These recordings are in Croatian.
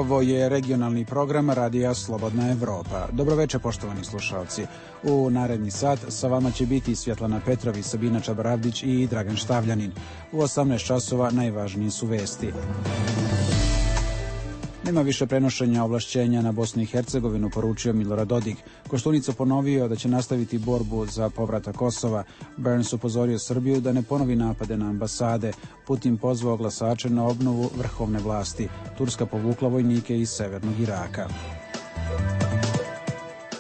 Ovo je regionalni program Radija Slobodna Evropa. Dobroveče, poštovani slušalci. U naredni sat sa vama će biti Svjetlana Petrović, Sabina Čabaravdić i Dragan Štavljanin. U 18 časova najvažnije su vesti. Nema više prenošenja ovlašćenja na Bosnu i Hercegovinu, poručio Milorad Dodik. Koštunica ponovio da će nastaviti borbu za povratak Kosova. Burns upozorio Srbiju da ne ponovi napade na ambasade. Putin pozvao glasače na obnovu vrhovne vlasti. Turska povukla vojnike iz severnog Iraka.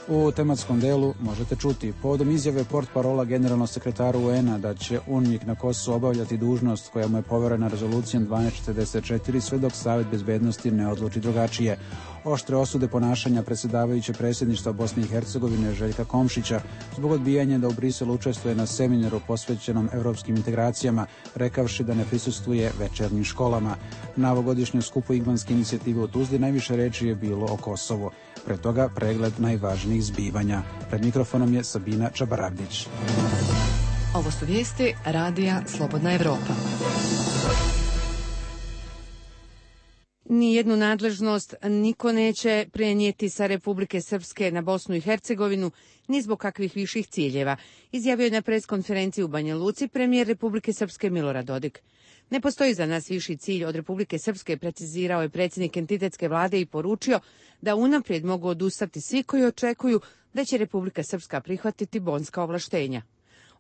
U tematskom delu možete čuti povodom izjave portparola generalnog sekretara UN-a da će UNMIK na Kosovu obavljati dužnost koja mu je poverena rezolucijom 1244 sve dok Savet bezbednosti ne odluči drugačije. Oštre osude ponašanja predsjedavajuće predsjedništva Bosne i Hercegovine Željka Komšića zbog odbijanja da u Briselu učestvuje na seminaru posvećenom evropskim integracijama, rekavši da ne prisustvuje večernjim školama. Na ovogodišnjem skupu Igmanske inicijative u Tuzli najviše reči je bilo o Kosovu. Pre toga pregled najvažnijih zbivanja. Pred mikrofonom je Sabina Čabaravdić. Ovo su vijesti Radija Slobodna Evropa. Nijednu nadležnost niko neće prenijeti sa Republike Srpske na Bosnu i Hercegovinu ni zbog kakvih viših ciljeva, izjavio je na preskonferenciji u Banja Luci premijer Republike Srpske Milorad Dodik. Ne postoji za nas viši cilj od Republike Srpske, precizirao je predsjednik entitetske vlade i poručio da unaprijed mogu odustati svi koji očekuju da će Republika Srpska prihvatiti bonska ovlaštenja.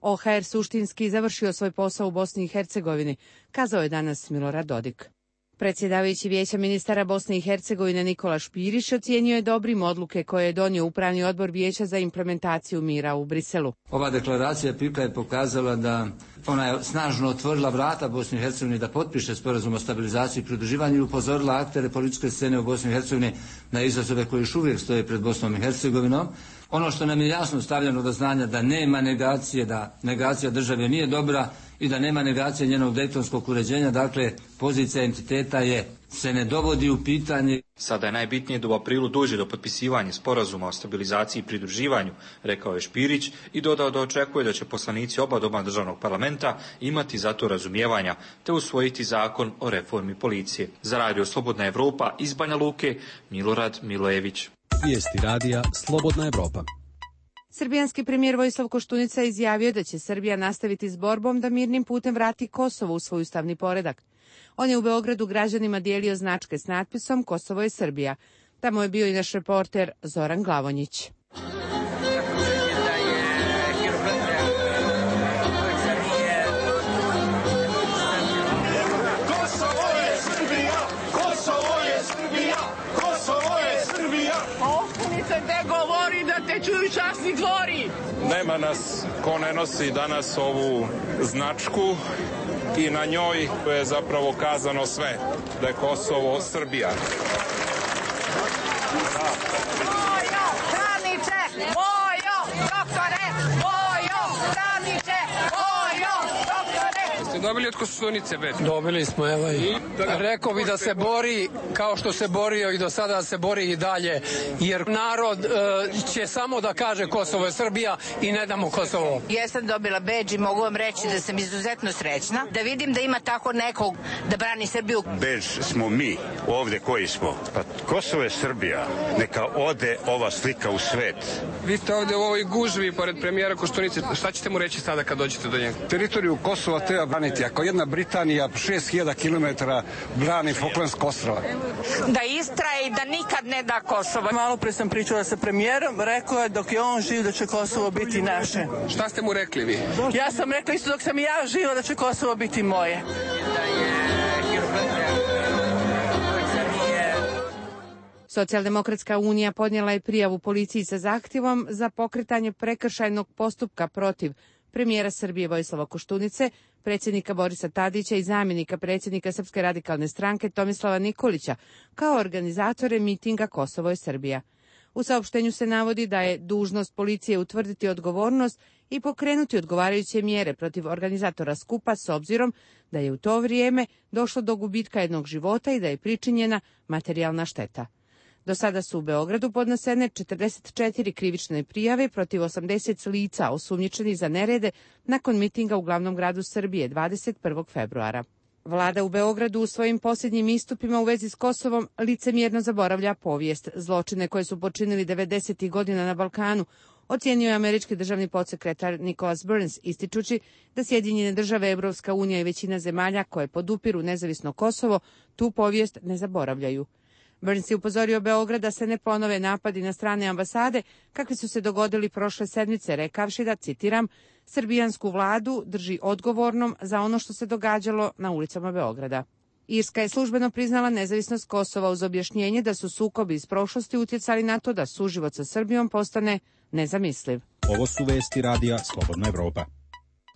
OHR suštinski završio svoj posao u Bosni i Hercegovini, kazao je danas Milorad Dodik. Predsjedavajući Vijeća ministara Bosne i Hercegovine Nikola Špirić ocijenio je dobrim odluke koje je donio Upravni odbor Vijeća za implementaciju mira u Briselu. Ova deklaracija PIK je pokazala da ona je snažno otvorila vrata Bosni i Hercegovini da potpiše sporazum o stabilizaciji i pridruživanju i upozorila aktere političke scene u Bosni i Hercegovini na izazove koji još uvijek stoje pred Bosnom i Hercegovinom. Ono što nam je jasno stavljeno do znanja da nema negacije, da negacija države nije dobra i da nema negacije njenog dejtonskog uređenja, dakle pozicija entiteta se ne dovodi u pitanje. Sada je najbitnije da u aprilu dođe do potpisivanja sporazuma o stabilizaciji i pridruživanju, rekao je Špirić i dodao da očekuje da će poslanici oba doma državnog parlamenta imati za to razumijevanja te usvojiti zakon o reformi policije. Za Radio Slobodna Evropa iz Banja Luke, Milorad Milojević. Vijesti radija Slobodna Evropa. Srbijanski premijer Vojislav Koštunica izjavio da će Srbija nastaviti s borbom da mirnim putem vrati Kosovo u svoj ustavni poredak. On je u Beogradu građanima dijelio značke s natpisom Kosovo je Srbija. Tamo je bio i naš reporter Zoran Glavonjić. Čuju časni dvori. Nema nas ko ne nosi danas ovu značku i na njoj je zapravo kazano sve, da je Kosovo Srbija. Vojo, Kraniče, vojo, doktore, vojo, Kraniče, vojo, doktore. Ste dobili od Koštunice već? Dobili smo, evo i rekao bi da se bori kao što se borio i do sada se bori i dalje, jer narod će samo da kaže Kosovo je Srbija i ne damo Kosovo. Jesam dobila bedž i mogu vam reći da sam izuzetno srećna, da vidim da ima tako nekog da brani Srbiju. Bedž smo mi ovde koji smo. Pa Kosovo je Srbija, neka ode ova slika u svet. Vi ste ovde u ovoj gužvi pored premijera Koštunice, šta ćete mu reći sada kad dođete do njega? Teritoriju Kosova treba braniti. Ako jedna Britanija 6000 km brani Falklandsko ostrva. Da istraje i da nikad ne da Kosovo. Malo pre sam pričala sa premijerom, rekao je dok je on živ da će Kosovo biti naše. Šta ste mu rekli vi? Ja sam rekla isto dok sam i ja živa da će Kosovo biti moje. Socijaldemokratska unija podnijela je prijavu policiji sa zahtjevom za pokretanje prekršajnog postupka protiv premijera Srbije Vojislava Koštunice, predsjednika Borisa Tadića i zamjenika predsjednika Srpske radikalne stranke Tomislava Nikolića kao organizatore mitinga Kosovo je Srbija. U saopštenju se navodi da je dužnost policije utvrditi odgovornost i pokrenuti odgovarajuće mjere protiv organizatora skupa s obzirom da je u to vrijeme došlo do gubitka jednog života i da je pričinjena materijalna šteta. Do sada su u Beogradu podnesene 44 krivične prijave protiv 80 lica osumnjičenih za nerede nakon mitinga u glavnom gradu Srbije 21. februara. Vlada u Beogradu u svojim posljednjim istupima u vezi s Kosovom licemjerno zaboravlja povijest. Zločine koje su počinili 90. godina na Balkanu ocijenio je američki državni podsekretar Nicholas Burns, ističući da Sjedinjene države, Evropska unija i većina zemalja koje podupiru nezavisno Kosovo tu povijest ne zaboravljaju. Burns je upozorio Beograd da se ne ponove napadi na strane ambasade kakvi su se dogodili prošle sedmice, rekavši da, citiram, srbijansku vladu drži odgovornom za ono što se događalo na ulicama Beograda. Irska je službeno priznala nezavisnost Kosova uz objašnjenje da su sukobi iz prošlosti utjecali na to da suživot sa Srbijom postane nezamisliv. Ovo su vesti radija Slobodna Evropa.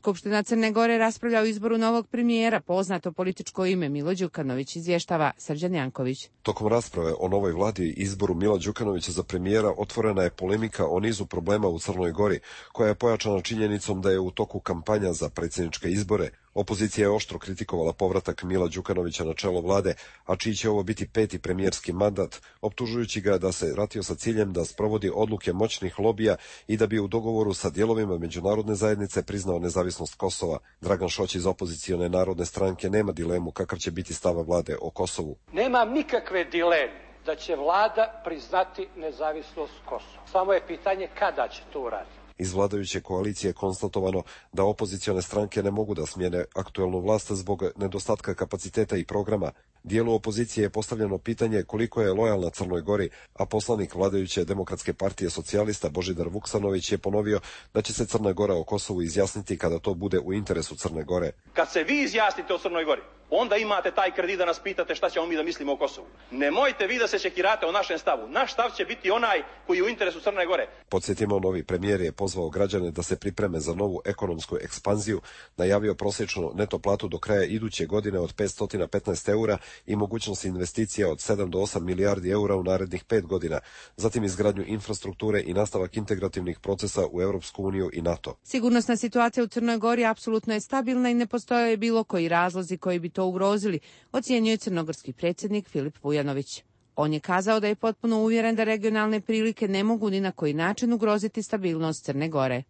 Skupština Crne Gore raspravlja o izboru novog premijera, poznato političko ime Milo Đukanović, izvještava Srđan Janković. Tokom rasprave o novoj vladi i izboru Mila Đukanovića za premijera otvorena je polemika o nizu problema u Crnoj Gori, koja je pojačana činjenicom da je u toku kampanja za predsjedničke izbore. Opozicija je oštro kritikovala povratak Mila Đukanovića na čelo vlade, a čiji će ovo biti 5. premijerski mandat, optužujući ga da se vratio sa ciljem da sprovodi odluke moćnih lobija i da bi u dogovoru sa dijelovima međunarodne zajednice priznao nezavisnost Kosova. Dragan Šoć iz opozicione Narodne stranke nema dilemu kakav će biti stav vlade o Kosovu. Nema nikakve dileme da će vlada priznati nezavisnost Kosova. Samo je pitanje kada će to uraditi. Iz vladajuće koalicije je konstatovano da opozicione stranke ne mogu da smijene aktuelnu vlast zbog nedostatka kapaciteta i programa. Dijelu opozicije je postavljeno pitanje koliko je lojalna Crnoj Gori, a poslanik vladajuće Demokratske partije socijalista Božidar Vuksanović je ponovio da će se Crna Gora o Kosovu izjasniti kada to bude u interesu Crne Gore. Kad se vi izjasnite o Crnoj Gori, onda imate taj kredit da nas pitate šta ćemo mi da mislimo o Kosovu. Nemojte vi da se čekirate o našem stavu. Naš stav će biti onaj koji je u interesu Crne Gore. Podsjetimo, novi premijer je pozvao građane da se pripreme za novu ekonomsku ekspanziju, najavio prosječnu neto platu do kraja iduće godine od 515 eura i mogućnost investicija od 7 do 8 milijardi eura u narednih 5 godina, zatim izgradnju infrastrukture i nastavak integrativnih procesa u Europsku uniju i NATO. Sigurnosna situacija u Crnoj Gori apsolutno je stabilna i ne postoje bilo koji razlozi koji bi to ugrozili, ocijenio je crnogorski predsjednik Filip Vujanović. On je kazao da je potpuno uvjeren da regionalne prilike ne mogu ni na koji način ugroziti stabilnost Crne Gore.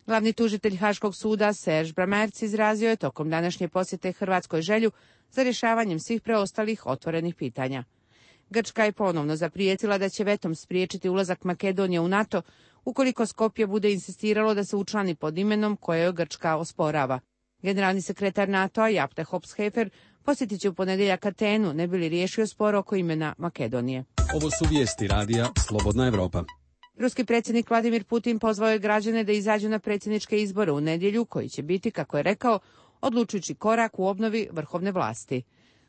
Glavni tužitelj Haškog suda Serž Bramerc izrazio je tokom današnje posjete Hrvatskoj želju za rješavanjem svih preostalih otvorenih pitanja. Grčka je ponovno zaprijetila da će vetom spriječiti ulazak Makedonije u NATO ukoliko Skopje bude insistiralo da se učlani pod imenom koje joj Grčka osporava. Generalni sekretar NATO-a Japte Hops-Hefer posjetit će u ponedjeljak Atenu, ne bi li riješio spor oko imena Makedonije. Ovo su vijesti radija Slobodna Evropa. Ruski predsjednik Vladimir Putin pozvao je građane da izađu na predsjedničke izbore u nedjelju, koji će biti, kako je rekao, odlučujući korak u obnovi vrhovne vlasti.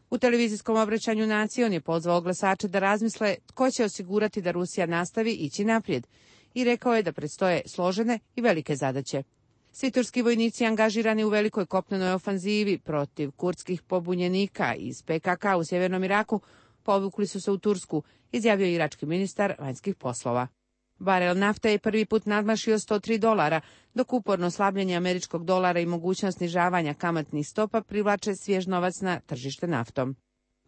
U televizijskom obraćanju naciji on je pozvao glasače da razmisle tko će osigurati da Rusija nastavi ići naprijed i rekao je da predstoje složene i velike zadaće. Svi turski vojnici angažirani u velikoj kopnenoj ofanzivi protiv kurdskih pobunjenika iz PKK u sjevernom Iraku povukli su se u Tursku, izjavio je irački ministar vanjskih poslova. Barel nafte je prvi put nadmašio $103, dok uporno slabljenje američkog dolara i mogućnost snižavanja kamatnih stopa privlače svjež novac na tržište naftom.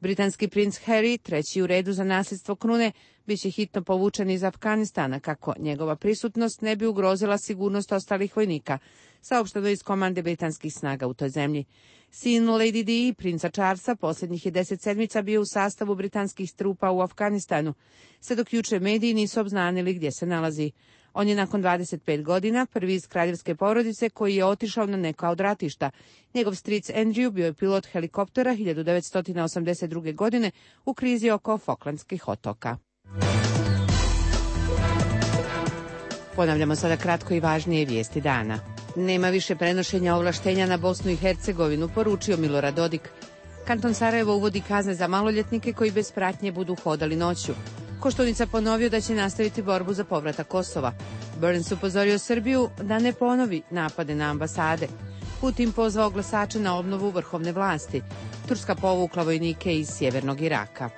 Britanski princ Harry, treći u redu za nasljedstvo krune, bit će hitno povučen iz Afganistana kako njegova prisutnost ne bi ugrozila sigurnost ostalih vojnika, saopšteno iz komande britanskih snaga u toj zemlji. Sin Lady Di, princa Charlesa, posljednjih je 10 sedmica bio u sastavu britanskih trupa u Afganistanu, sve dok jučer mediji nisu obznanili gdje se nalazi. On je nakon 25 godina prvi iz kraljevske porodice koji je otišao na neka od ratišta. Njegov stric Andrew bio je pilot helikoptera 1982. godine u krizi oko Falklandskih otoka. Ponavljamo sada kratko i važnije vijesti dana. Nema više prenošenja ovlaštenja na Bosnu i Hercegovinu, poručio Milorad Dodik. Kanton Sarajevo uvodi kazne za maloljetnike koji bez pratnje budu hodali noću. Koštunica ponovio da će nastaviti borbu za povratak Kosova. Burns upozorio Srbiju da ne ponovi napade na ambasade. Putin pozvao glasače na obnovu vrhovne vlasti. Turska povukla vojnike iz sjevernog Iraka.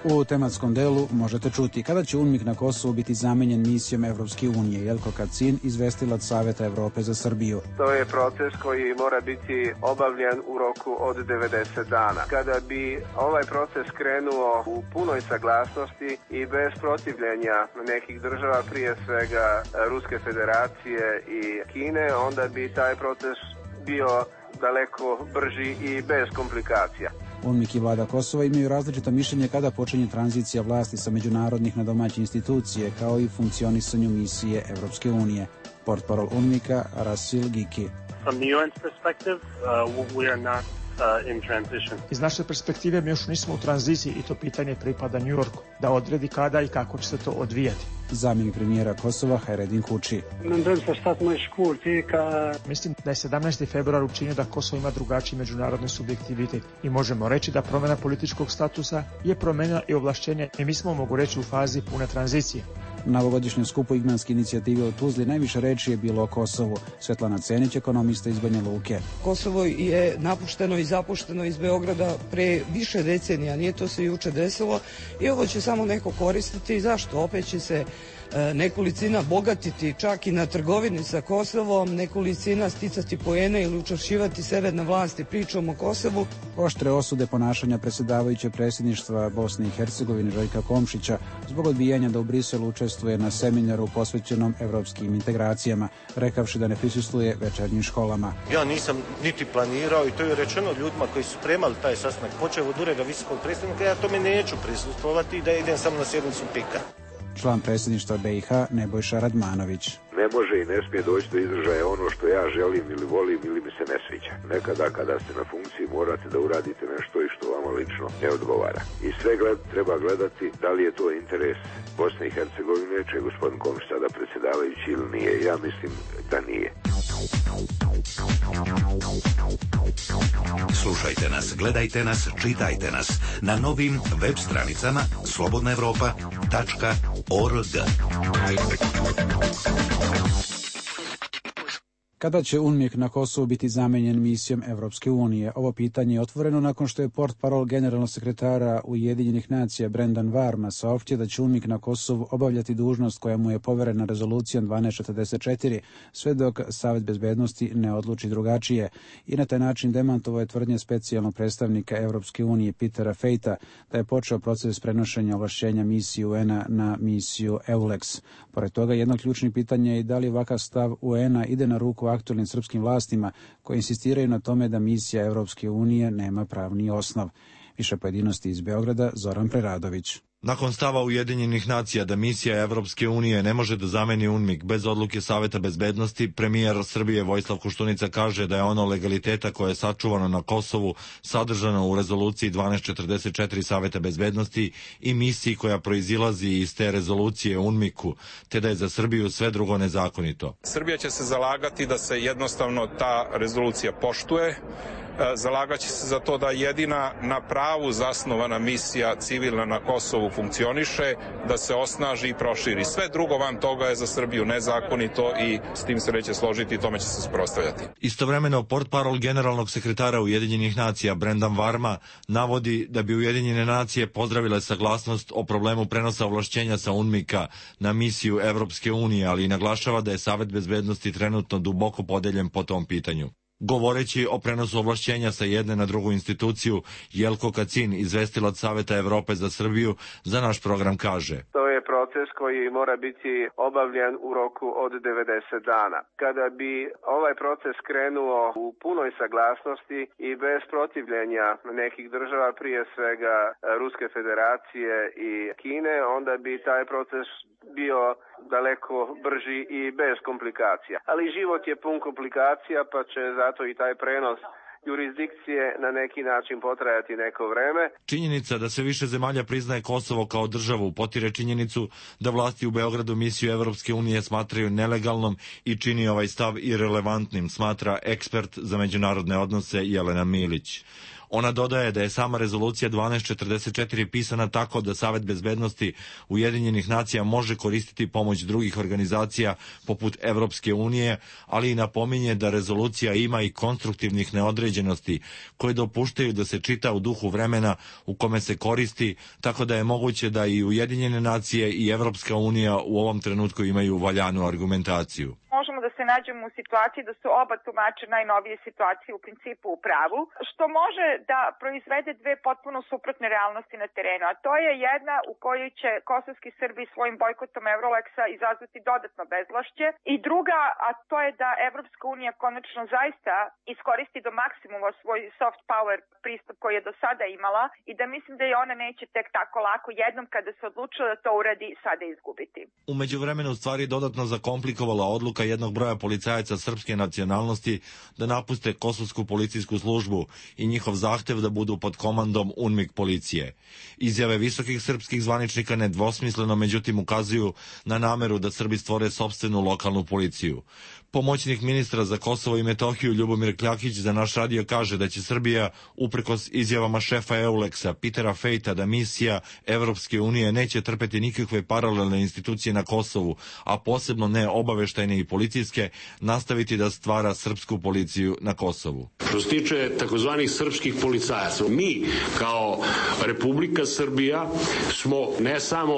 U tematskom delu možete čuti kada će UNMIK na Kosovu biti zamenjen misijom Evropske unije. Jelko Kacin, izvestilac Saveta Evrope za Srbiju. To je proces koji mora biti obavljen u roku od 90 dana. Kada bi ovaj proces krenuo u punoj saglasnosti i bez protivljenja nekih država, prije svega Ruske federacije i Kine, onda bi taj proces bio daleko brži i bez komplikacija. UNMIK i vlada Kosova imaju različito mišljenje kada počinje tranzicija vlasti sa međunarodnih na domaće institucije, kao i funkcionisanju misije Evropske unije. Portparol UNMIK-a Rasil Giki. From the UN's perspective, we are not in transition. Iz naše perspektive mi još nismo u tranziciji i to pitanje pripada New Yorku, da odredi kada i kako će se to odvijati. Zamjenik premijera Kosova Hayreddin Kuči. Mislim da je 17. februar učinio da Kosovo ima drugačiji međunarodni subjektivitet i možemo reći da promjena političkog statusa je promenila i ovlašćenje i mi smo, mogu reći, u fazi pune tranzicije. Na ovogodišnjem skupu Igmanske inicijative u Tuzli najviše reči je bilo o Kosovu. Svetlana Cenić, ekonomista iz Banja Luke. Kosovo je napušteno i zapušteno iz Beograda pre više decenija, nije to se juče desilo i ovo će samo neko koristiti. Zašto? Opet će se nekolicina bogatiti čak i na trgovini sa Kosovom, nekolicina sticati poene ili učvršćivati sebe na vlasti pričom o Kosovu. Oštre osude ponašanja predsjedavajuće predsjedništva Bosne i Hercegovine Željka Komšića zbog odbijanja da u Briselu učestvuje na seminaru posvećenom evropskim integracijama, rekavši da ne prisustvuje večernjim školama. Ja nisam niti planirao i to je rečeno ljudima koji su spremali taj sastanak, počeo od ureda visokog predstavnika, ja tome neću prisustvovati i da idem samo na sjednicu PIK-a. Član predsjedništva BiH Nebojša Radmanović. Ne može i ne smije doći do izražaja ono što ja želim ili volim ili mi se ne sviđa. Nekada kada ste na funkciji morate da uradite nešto i što vama lično ne odgovara. I sve treba gledati da li je to interes Bosne i Hercegovine, če je gospodin Komšić sada predsjedavajući ili nije. Ja mislim da nije. Slušajte nas, gledajte nas, čitajte nas na novim web stranicama slobodnaevropa.org. Kada će UNMIK na Kosovu biti zamenjen misijom Evropske unije? Ovo pitanje je otvoreno nakon što je portparol generalnog sekretara Ujedinjenih nacija Brendan Varma saopštio da će UNMIK na Kosovu obavljati dužnost koja mu je poverena rezolucijom 1244, sve dok Savet bezbednosti ne odluči drugačije. I na taj način demantovao je tvrdnje specijalnog predstavnika Evropske unije Petera Fejta da je počeo proces prenošenja ovlašćenja misije UN-a na misiju EULEX. Pored toga, jedno ključnih pitanja je da li ovakav stav UN-a ide na ruku aktualnim srpskim vlastima koji insistiraju na tome da misija Evropske unije nema pravni osnov. Više pojedinosti iz Beograda, Zoran Preradović. Nakon stava Ujedinjenih nacija da misija Evropske unije ne može da zameni UNMIK bez odluke Saveta bezbednosti, premijer Srbije Vojislav Koštunica kaže da je ono legaliteta koje je sačuvano na Kosovu sadržano u rezoluciji 1244 Saveta bezbednosti i misiji koja proizilazi iz te rezolucije UNMIK-u, te da je za Srbiju sve drugo nezakonito. Srbija će se zalagati da se jednostavno ta rezolucija poštuje. Zalagaće se za to da jedina na pravu zasnovana misija civilna na Kosovu funkcioniše, da se osnaži i proširi. Sve drugo van toga je za Srbiju nezakonito i s tim se neće složiti i tome će se suprotstavljati. Istovremeno, portparol generalnog sekretara Ujedinjenih nacija Brendan Varma navodi da bi Ujedinjene nacije pozdravile saglasnost o problemu prenosa ovlašćenja sa UNMIK-a na misiju Evropske unije, ali i naglašava da je Savet bezbednosti trenutno duboko podeljen po tom pitanju. Govoreći o prenosu ovlašćenja sa jedne na drugu instituciju, Jelko Kacin, izvestilac Saveta Evrope za Srbiju, za naš program kaže: To je proces koji mora biti obavljen u roku od 90 dana. Kada bi ovaj proces krenuo u punoj saglasnosti i bez protivljenja nekih država, prije svega Ruske federacije i Kine, onda bi taj proces bio daleko brži i bez komplikacija. Ali život je pun komplikacija, pa će zato i taj prenos jurisdikcije na neki način potrajati neko vreme. Činjenica da sve više zemalja priznaje Kosovo kao državu potire činjenicu da vlasti u Beogradu misiju Evropske unije smatraju nelegalnom i čini ovaj stav irelevantnim, smatra ekspert za međunarodne odnose Jelena Milić. Ona dodaje da je sama rezolucija 1244 pisana tako da Savet bezbednosti Ujedinjenih nacija može koristiti pomoć drugih organizacija poput Evropske unije, ali i napominje da rezolucija ima i konstruktivnih neodređenosti koje dopuštaju da se čita u duhu vremena u kome se koristi, tako da je moguće da i Ujedinjene nacije i Evropska unija u ovom trenutku imaju valjanu argumentaciju. možemo da se nađemo u situaciji da su oba tumača najnovije situacije u principu u pravu, što može da proizvede dve potpuno suprotne realnosti na terenu, a to je jedna u kojoj će kosovski Srbi svojim bojkotom Euroleksa izazvati dodatno bezvlašće i druga, a to je da Evropska unija konačno zaista iskoristi do maksimuma svoj soft power pristup koji je do sada imala i da mislim da je ona neće tek tako lako jednom kada se odlučila da to uradi sada izgubiti. U međuvremenu stvari dodatno zakomplikovala odluka jednog broja policajaca srpske nacionalnosti da napuste kosovsku policijsku službu i njihov zahtev da budu pod komandom UNMIK policije. Izjave visokih srpskih zvaničnika nedvosmisleno međutim ukazuju na nameru da Srbi stvore sopstvenu lokalnu policiju. Pomoćnik ministra za Kosovo i Metohiju Ljubomir Kljakić za naš radio kaže da će Srbija, uprkos izjavama šefa Euleksa Petera Fejta da misija Evropske unije neće trpeti nikakve paralelne institucije na Kosovu, a posebno ne obaveštajne i policijske, nastaviti da stvara srpsku policiju na Kosovu. Što se tiče takozvanih srpskih policajaca, mi kao Republika Srbija smo ne samo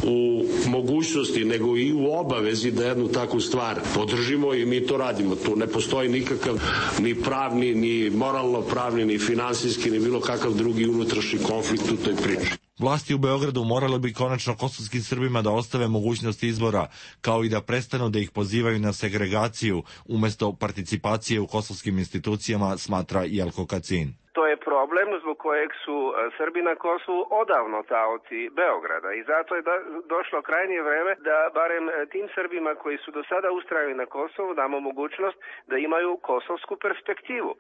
u mogućnosti, nego i u obavezi da jednu takvu stvar podržimo i mi to radimo. Tu ne postoji nikakav ni pravni, ni moralno pravni, ni finansijski, ni bilo kakav drugi unutrašnji konflikt u toj priči. Vlasti u Beogradu morale bi konačno kosovskim Srbima da ostave mogućnost izbora, kao i da prestanu da ih pozivaju na segregaciju umjesto participacije u kosovskim institucijama, smatra Jelko Kacin. To je problem zbog kojeg su Srbi na Kosovu odavno taoci Beograda i zato je došlo krajnje vreme da barem tim Srbima koji su do sada ustrajali na Kosovu damo mogućnost da imaju kosovsku perspektivu.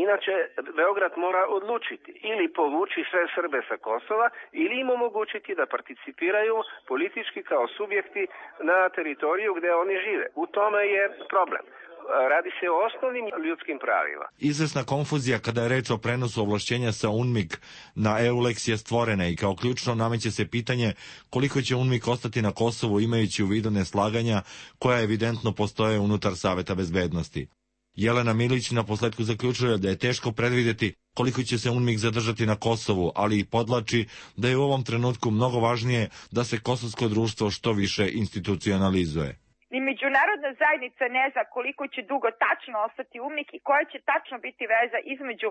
Inače, Beograd mora odlučiti ili povući sve Srbe sa Kosova ili im omogućiti da participiraju politički kao subjekti na teritoriju gdje oni žive. U tome je problem. Radi se o osnovnim ljudskim pravima. Izvesna konfuzija kada je reč o prenosu ovlašćenja sa UNMIK na EULEX je stvorena i kao ključno nameće se pitanje koliko će UNMIK ostati na Kosovu imajući u vidu neslaganja koja evidentno postoje unutar Saveta bezbednosti. Jelena Milić na posledku zaključuje da je teško predvidjeti koliko će se UNMIK zadržati na Kosovu, ali i podlači da je u ovom trenutku mnogo važnije da se kosovsko društvo što više institucionalizuje. Ni međunarodna zajednica ne zna koliko će dugo tačno ostati UNMIK i koja će tačno biti veza između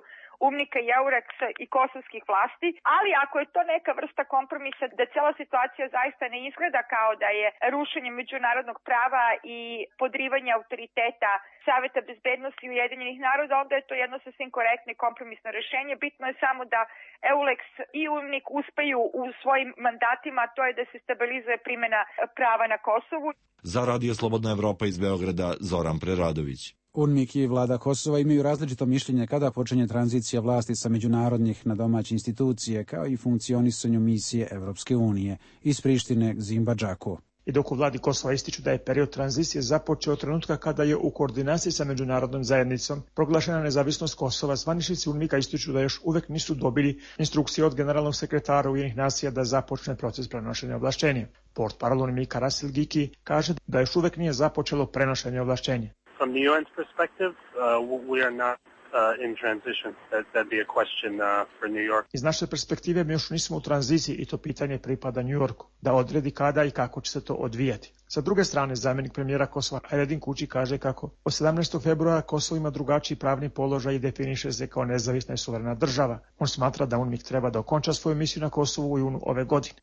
UNMIK-a i EULEX-a i kosovskih vlasti, ali ako je to neka vrsta kompromisa da cijela situacija zaista ne izgleda kao da je rušenje međunarodnog prava i podrivanje autoriteta Saveta bezbednosti Ujedinjenih naroda, onda je to jedno sasvim korektno i kompromisno rješenje. Bitno je samo da EULEX i UNMIK uspeju u svojim mandatima, to je da se stabilizuje primjena prava na Kosovu. Za Radio Slobodna Evropa iz Beograda, Zoran Preradović. UNMIK i vlada Kosova imaju različito mišljenje kada počinje tranzicija vlasti sa međunarodnih na domaće institucije, kao i funkcionisanju misije Evropske unije iz Prištine k Zimbadžaku. I dok u vladi Kosova ističu da je period tranzicije započeo od trenutka kada je u koordinaciji sa međunarodnom zajednicom proglašena nezavisnost Kosova, zvaničnici UNMIK-a ističu da još uvek nisu dobili instrukcije od generalnog sekretara Ujedinjenih nacija da započne proces prenošenja ovlašćenja. Portparol UNMIK-a Rasil Giki kaže da još uvek nije započelo prenošenje ovlašćenja. From the UN's perspective, we are not in transition. That'd be a question for New York. Iz naše perspektive mi još nismo u tranziciji i to pitanje pripada New Yorku, da odredi kada i kako će se to odvijati. Sa druge strane, zamjenik premijera Kosova Aydin Kuči kaže kako od 17. februara Kosovo ima drugačiji pravni položaj i definiše se kao nezavisna i suverena država. On smatra da UNMIK treba da okonča svoju misiju na Kosovu u junu ove godine.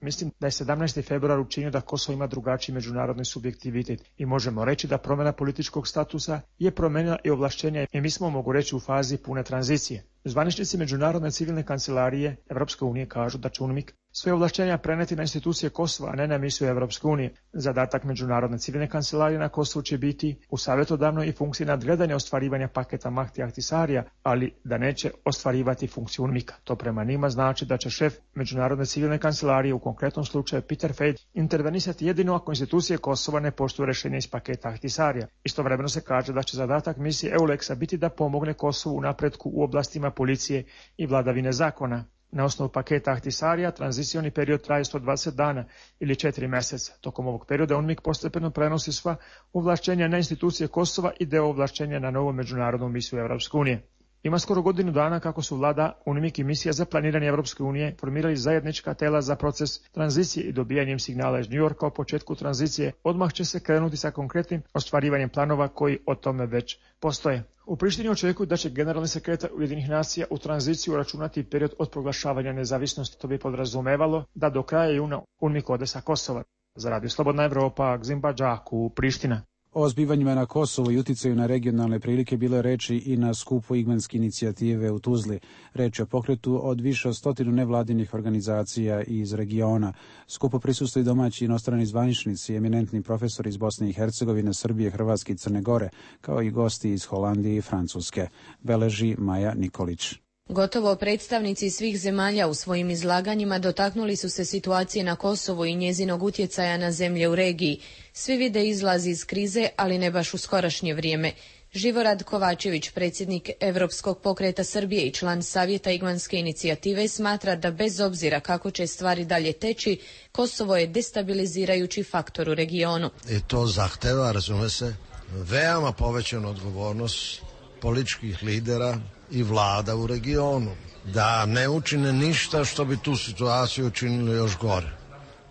Mislim da je 17. februar učinio da Kosovo ima drugačiji međunarodni subjektivitet i možemo reći da promjena političkog statusa je promenila i ovlašćenja i mi smo, mogu reći, u fazi pune tranzicije. Zvaničnici Međunarodne civilne kancelarije Evropske unije kažu da će UNMIK svoje ovlašćenja preneti na institucije Kosova, a ne na misiju Evropske unije. Zadatak Međunarodne civilne kancelarije na Kosovu će biti u savjetodavnoj i funkciji nadgledanja ostvarivanja paketa Mahti Ahtisarija, ali da neće ostvarivati funkciju UNMIK-a. To prema njima znači da će šef Međunarodne civilne kancelarije, u konkretnom slučaju Peter Fejt, intervenisati jedino ako institucije Kosova ne poštuju rješenje iz paketa Ahtisarija. Istovremeno se kaže da će zadatak misije EULEX-a biti da pomogne Kosovu u napretku u oblastima policije i vladavine zakona. Na osnovu paketa Ahtisarija tranzicioni period traje 120 dana ili 4 mjeseca. Tokom ovog perioda UNMIK postepeno prenosi sva ovlašćenja na institucije Kosova i deo ovlašćenja na novu međunarodnu misiju Evropske unije. Ima skoro godinu dana kako su vlada, UNMIK i misija za planiranje Evropske unije formirali zajednička tela za proces tranzicije i dobijanjem signala iz Njujorka o početku tranzicije. Odmah će se krenuti sa konkretnim ostvarivanjem planova koji o tome već postoje. U Prištini očekuju da će generalni sekretar Ujedinjenih nacija u tranziciju računati period od proglašavanja nezavisnosti. To bi podrazumevalo da do kraja juna UNMIK ode sa Kosova. Za Radio Slobodna Evropa, Gzimba Džaku, Priština. O zbivanjima na Kosovu i uticaju na regionalne prilike bilo reči i na skupu Igmanske inicijative u Tuzli. Reč je o pokretu od više od 100 nevladinih organizacija iz regiona. Skupu prisustuju domaći i inostrani zvaničnici, eminentni profesori iz Bosne i Hercegovine, Srbije, Hrvatske i Crne Gore, kao i gosti iz Holandije i Francuske. Beleži Maja Nikolić. Gotovo predstavnici svih zemalja u svojim izlaganjima dotaknuli su se situacije na Kosovu i njezinog utjecaja na zemlje u regiji. Svi vide izlaz iz krize, ali ne baš u skorašnje vrijeme. Živorad Kovačević, predsjednik Europskog pokreta Srbije i član Savjeta Igmanske inicijative, smatra da bez obzira kako će stvari dalje teći, Kosovo je destabilizirajući faktor u regionu. I to zahteva, razume se, veoma povećanu odgovornost političkih lidera i vlada u regionu, da ne učine ništa što bi tu situaciju učinilo još gore.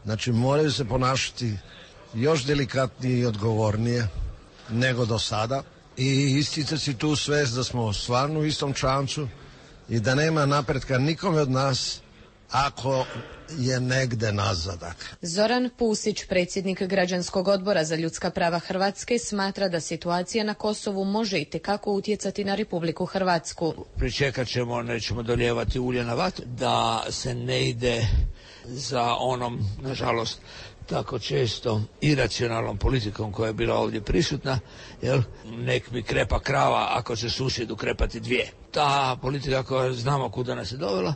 Znači moraju se ponašati još delikatnije i odgovornije nego do sada i isticati tu svest da smo stvarno u istom čamcu i da nema napretka nikome od nas ako je negde nazadak. Zoran Pusić, predsjednik Građanskog odbora za ljudska prava Hrvatske, smatra da situacija na Kosovu može itekako utjecati na Republiku Hrvatsku. Pričekat ćemo, nećemo dolijevati ulje na vatru, da se ne ide za onom, nažalost, tako često iracionalnom politikom koja je bila ovdje prisutna, jel? Nek mi krepa krava ako će susjedu krepati dvije. Ta politika koja znamo kuda nas je dovela,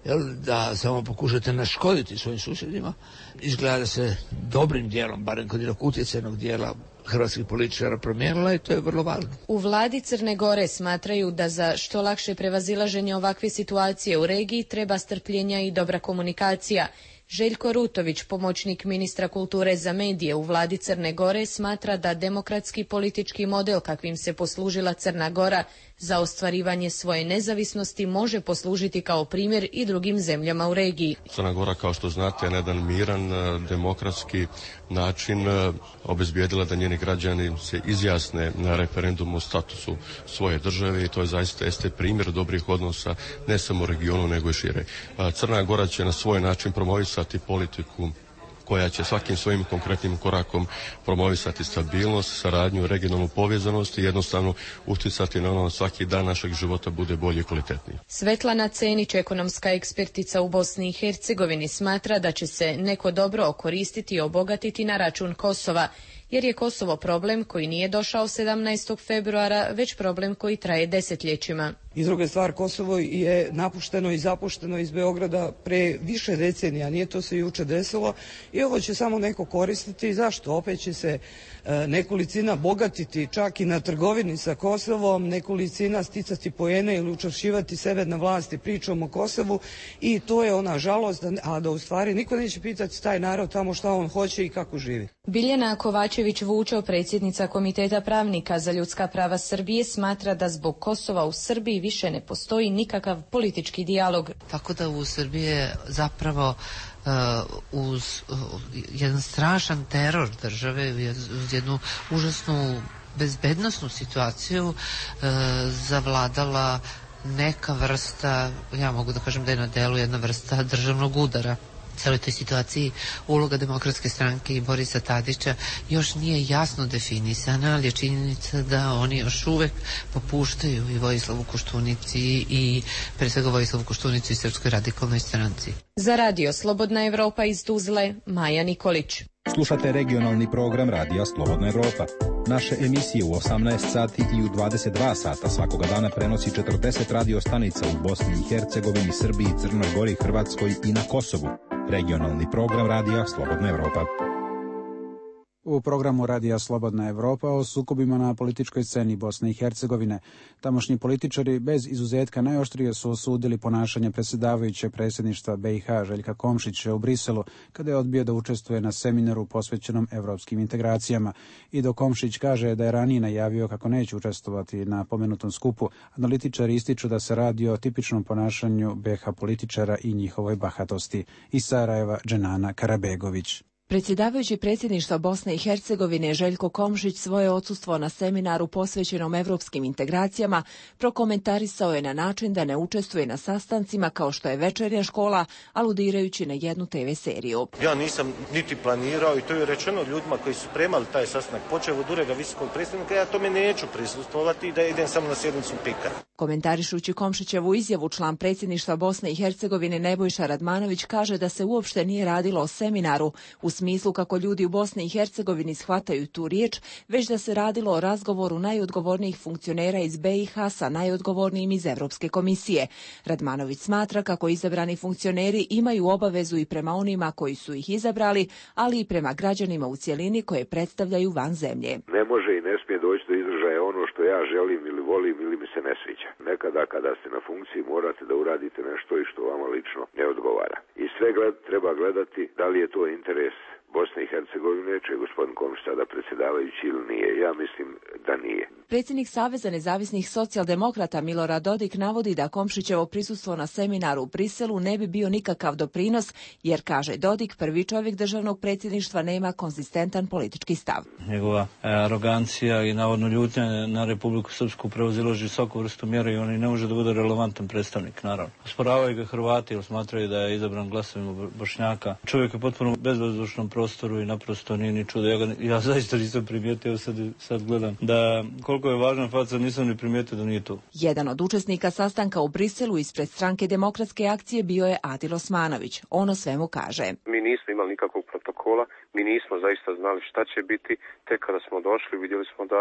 jel? Da samo pokušate naškoditi svojim susjedima, izgleda da se dobrim dijelom, barem kod jednog utjecajnog dijela hrvatskih političara promijenila i to je vrlo važno. U vladi Crne Gore smatraju da za što lakše prevazilaženje ovakve situacije u regiji treba strpljenja i dobra komunikacija. Željko Rutović, pomoćnik ministra kulture za medije u vladi Crne Gore, smatra da demokratski politički model kakvim se poslužila Crna Gora za ostvarivanje svoje nezavisnosti može poslužiti kao primjer i drugim zemljama u regiji. Crna Gora, kao što znate, je na jedan miran, demokratski način obezbijedila da njeni građani se izjasne na referendumu o statusu svoje države i to je zaista jeste primjer dobrih odnosa ne samo u regionu nego i šire. Crna Gora će na svoj način promovisati politiku koja će svakim svojim konkretnim korakom promovisati stabilnost, saradnju, regionalnu povezanost i jednostavno utjecati na ono svaki dan našeg života bude bolje i kvalitetniji. Svetlana Cenić, ekonomska ekspertica u Bosni i Hercegovini, smatra da će se neko dobro okoristiti i obogatiti na račun Kosova, jer je Kosovo problem koji nije došao 17. februara, već problem koji traje desetljećima. I druga stvar, Kosovo je napušteno i zapušteno iz Beograda pre više decenija, nije to se juče desilo i ovo će samo neko koristiti. Zašto? Opet će se nekolicina bogatiti čak i na trgovini sa Kosovom, nekolicina sticati poene ili učvršćivati sebe na vlasti pričom o Kosovu i to je ona žalost, a da u stvari niko neće pitati taj narod tamo šta on hoće i kako živi. Biljana Kovačević-Vučov, predsjednica Komiteta pravnika za ljudska prava Srbije, smatra da zbog Kosova u Srbiji više ne postoji nikakav politički dijalog. Tako da u Srbiji je zapravo uz jedan strašan teror države, uz jednu užasnu bezbednosnu situaciju zavladala neka vrsta, ja mogu da kažem da je na delu jedna vrsta državnog udara. Celoj toj situaciji uloga Demokratske stranke i Borisa Tadića još nije jasno definisana, ali je činjenica da oni još uvek popuštaju i Vojislavu Koštunici i pre svega Vojislavu Koštunici i Srpskoj radikalnoj stranci. Za Radio Slobodna Evropa iz Tuzle, Maja Nikolić. Slušate regionalni program Radija Slobodna Evropa. Naše emisije u 18 sati i u 22 sata svakoga dana prenosi 40 radio stanica u Bosni i Hercegovini, Srbiji, Crnoj Gori, Hrvatskoj i na Kosovu. Regionalni program Radija Slobodna Evropa. U programu Radija Slobodna Evropa o sukobima na političkoj sceni Bosne i Hercegovine. Tamošnji političari bez izuzetka najoštrije su osudili ponašanje predsjedavajuće predsjedništva BiH Željka Komšića u Briselu kada je odbio da učestvuje na seminaru posvećenom evropskim integracijama. I dok Komšić kaže da je ranije najavio kako neće učestvovati na pomenutom skupu, analitičari ističu da se radi o tipičnom ponašanju BiH političara i njihovoj bahatosti. Iz Sarajeva Dženana Karabegović. Predsjedavajući predsjedništva Bosne i Hercegovine Željko Komšić svoje odsustvo na seminaru posvećenom evropskim integracijama prokomentarisao je na način da ne učestvuje na sastancima kao što je Večernja škola, aludirajući na jednu TV seriju. Ja nisam niti planirao i to je rečeno ljudima koji su spremali taj sastanak, počev od ureda visokog predstavnika, ja tome neću prisustvovati i da idem samo na sjednicu PIK-a. Komentarišući Komšićevu izjavu, član predsjedništva Bosne i Hercegovine Nebojša Radmanović kaže da se uopšte nije radilo o seminaru u smislu kako ljudi u Bosni i Hercegovini shvataju tu riječ, već da se radilo o razgovoru najodgovornijih funkcionera iz BiH sa najodgovornijim iz Evropske komisije. Radmanović smatra kako izabrani funkcioneri imaju obavezu i prema onima koji su ih izabrali, ali i prema građanima u cjelini koje predstavljaju van zemlje. Ne može i ne smije doći do izražaja ono što ja želim ili volim ili mi se ne sviđa. Nekada kada ste na funkciji morate da uradite nešto i što vama lično ne odgovara. I sve treba gledati da li je to interes Bosne i Hercegovine, će gospodin Komšić sada predsjedavajući ili nije. Ja mislim da nije. Predsjednik Saveza nezavisnih socijaldemokrata Milorad Dodik navodi da Komšićevo prisustvo na seminaru u Briselu ne bi bio nikakav doprinos, jer, kaže Dodik, prvi čovjek državnog predsjedništva nema konzistentan politički stav. Njegova arogancija i navodno ljutnja na Republiku Srpsku prevazilazi svaku vrstu mjera i on i ne može da bude relevantan predstavnik, naravno. Osporavaju ga Hrvati, jer smatraju da je izabran glasovima Bošnjaka. Čovjek je potpuno bezvazdušnom prostoru i naprosto nije ni čudo. Ja zaista nisam primijetio, sad gledam da koliko je važna faca, nisam ni primijetio da nije tu. Jedan od učesnika sastanka u Briselu ispred Stranke demokratske akcije bio je Adil Osmanović. On o svemu kaže. Mi nismo imali nikakvog protokola, mi nismo zaista znali šta će biti. Tek kada smo došli, vidjeli smo da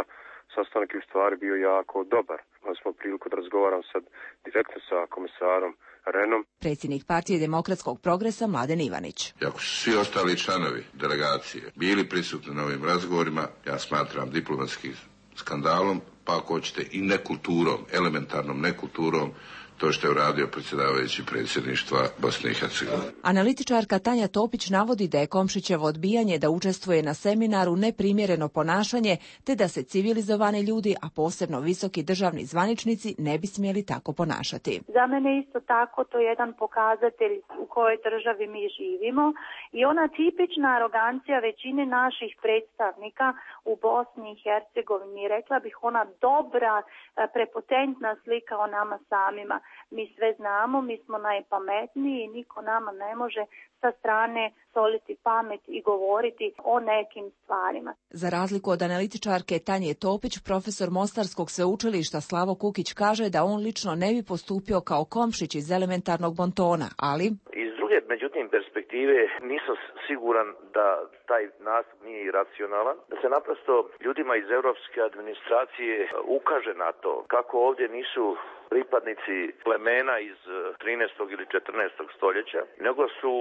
sastanak u stvari bio jako dobar. Imali smo priliku da razgovaram sad direktno sa komisarom Renom. Predsjednik partije Demokratskog progresa Mladen Ivanić. Ako su svi ostali članovi delegacije bili prisutni na ovim razgovorima, ja smatram diplomatskim skandalom, pa ako hoćete i nekulturom, elementarnom nekulturom, to što je uradio predsjedavajući predsjedništva Bosne i Hercegovine. Analitičarka Tanja Topić navodi da je Komšićevo odbijanje da učestvuje na seminaru neprimjereno ponašanje, te da se civilizovani ljudi, a posebno visoki državni zvaničnici, ne bi smjeli tako ponašati. Za mene isto tako to je jedan pokazatelj u kojoj državi mi živimo i ona tipična arogancija većine naših predstavnika u Bosni i Hercegovini, rekla bih ona dobra, prepotentna slika o nama samima. Mi sve znamo, mi smo najpametniji i niko nama ne može sa strane soliti pamet i govoriti o nekim stvarima. Za razliku od analitičarke Tanje Topić, profesor Mostarskog sveučilišta Slavo Kukić kaže da on lično ne bi postupio kao Komšić iz elementarnog bontona, ali... Iz druge, međutim, perspektive nisam siguran da taj nastup nije iracionalan, da se naprosto ljudima iz europske administracije ukaže na to kako ovdje nisu pripadnici plemena iz 13. ili 14. stoljeća, nego su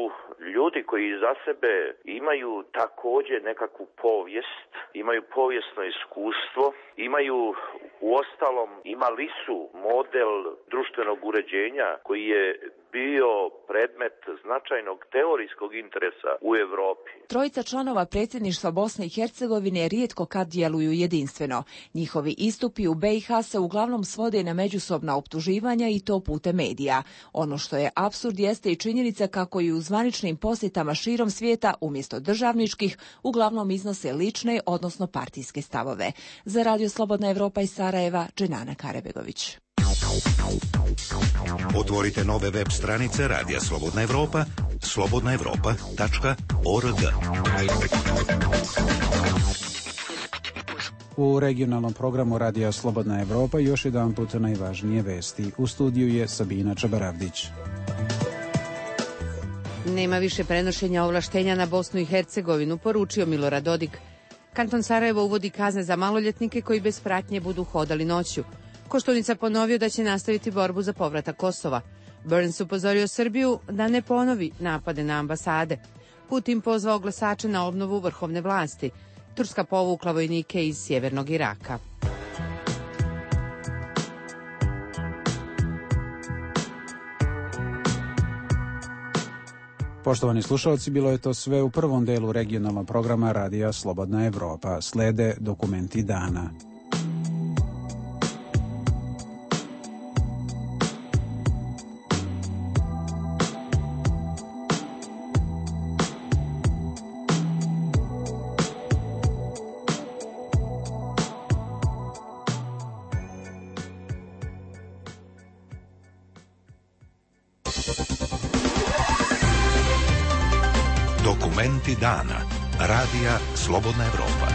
ljudi koji za sebe imaju također nekakvu povijest, imaju povijesno iskustvo, imaju uostalom, imali su model društvenog uređenja koji je bio predmet značajnog teorijskog interesa u Europi. Trojica članova predsjedništva Bosne i Hercegovine rijetko kad djeluju jedinstveno. Njihovi istupi u BiH se uglavnom svode na međusobna optuživanja i to putem medija. Ono što je apsurd jeste i činjenica kako i u zvaničnim posjetama širom svijeta umjesto državničkih uglavnom iznose lične, odnosno partijske stavove. Za Radio Slobodna Evropa iz Sarajeva, Dženana Karabegović. Otvorite nove web stranice Radija Slobodna Evropa, slobodnaevropa.org. U regionalnom programu Radija Slobodna Evropa još jedan put najvažnije vesti. U studiju je Sabina Čabaravdić. Nema više prenošenja ovlaštenja na Bosnu i Hercegovinu, poručio Milorad Dodik. Kanton Sarajevo uvodi kazne za maloljetnike koji bez pratnje budu hodali noću. Koštunica ponovio da će nastaviti borbu za povratak Kosova. Burns upozorio Srbiju da ne ponovi napade na ambasade. Putin pozvao glasače na obnovu vrhovne vlasti. Turska povukla vojnike iz sjevernog Iraka. Poštovani slušalci, bilo je to sve u prvom delu regionalnog programa Radija Slobodna Evropa. Slede dokumenti dana. Dokumenti dana. Radija Slobodna Evropa.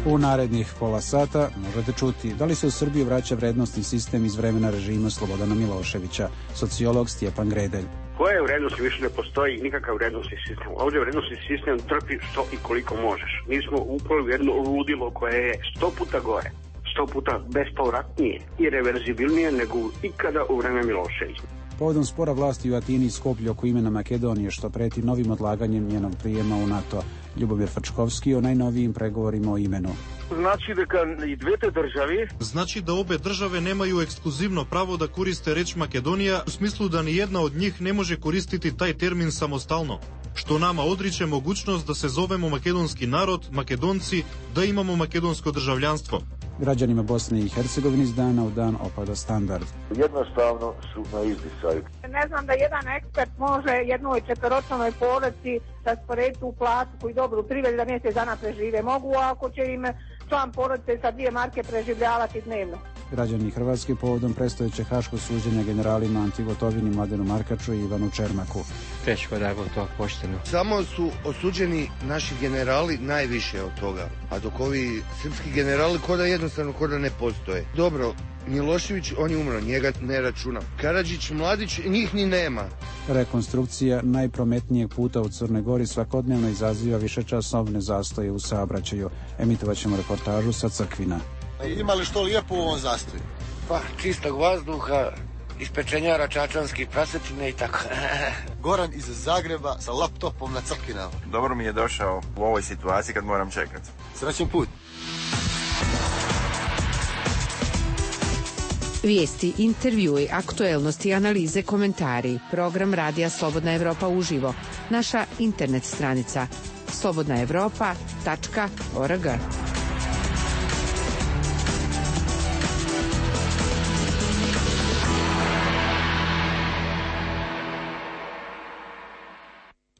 U narednih pola sata možete čuti da li se u Srbiju vraća vrednostni sistem iz vremena režima Slobodana Miloševića, sociolog Stjepan Gredelj. Koje vrednosti više ne postoji nikakav vrednostni sistem. Ovdje vrednostni sistem trpi što i koliko možeš. Mi smo upali u jedno ludilo koje je 100 puta gore, 100 puta bespovratnije i reverzibilnije nego ikada u vreme Miloševića. Povodom spora vlasti u Atini i Skoplju oko imena Makedonije, što preti novim odlaganjem njenog prijema u NATO, Ljubomir Frčkovski o najnovijim pregovorima o imenu. Znači дека и двете држави... Значи да обе државе немају ексклузивно право да користе реч Македонија, у смислу да ни една од njih не може користити тај термин самостално, што нама одриче могуćност да се зовемо македонски народ, македонци, да имамо македонско држављанство. Građanima Bosne i Hercegovine iz dana u dan opada standard. Jednostavno su na izdisaju. Ne znam da jedan ekspert može jednoj četvoročlanoj porodici rasporediti u platu koju dobru priveli da mjesec dana prežive. Mogu ako će im član porodice sa 2 marke preživljavati dnevno. Građani Hrvatske povodom predstojeće haško suđenja generalima Anti Gotovini, Mladenu Markaču i Ivanu Čermaku. Teško da je to pošteno. Samo su osuđeni naši generali najviše od toga, a dok ovi srpski generali ko da ne postoje. Dobro, Milošević, on je umro, njega ne računam. Karadžić, Mladić, njih ni nema. Rekonstrukcija najprometnijeg puta u Crnoj Gori svakodnevno izaziva višečasovne zastoje u saobraćaju. Emitovat ćemo reportažu sa Crkvina. Ima li što lijepo u ovom zastoju? Pa, čistog vazduha, ispečenjara čačanskih prasetine i tako. Goran iz Zagreba sa laptopom na Crkvinama. Dobro mi je došao u ovoj situaciji kad moram čekati. Srećan put. Vijesti, intervjui, aktuelnosti, analize, komentari. Program Radija Slobodna Evropa uživo. Naša internet stranica slobodnaevropa.org.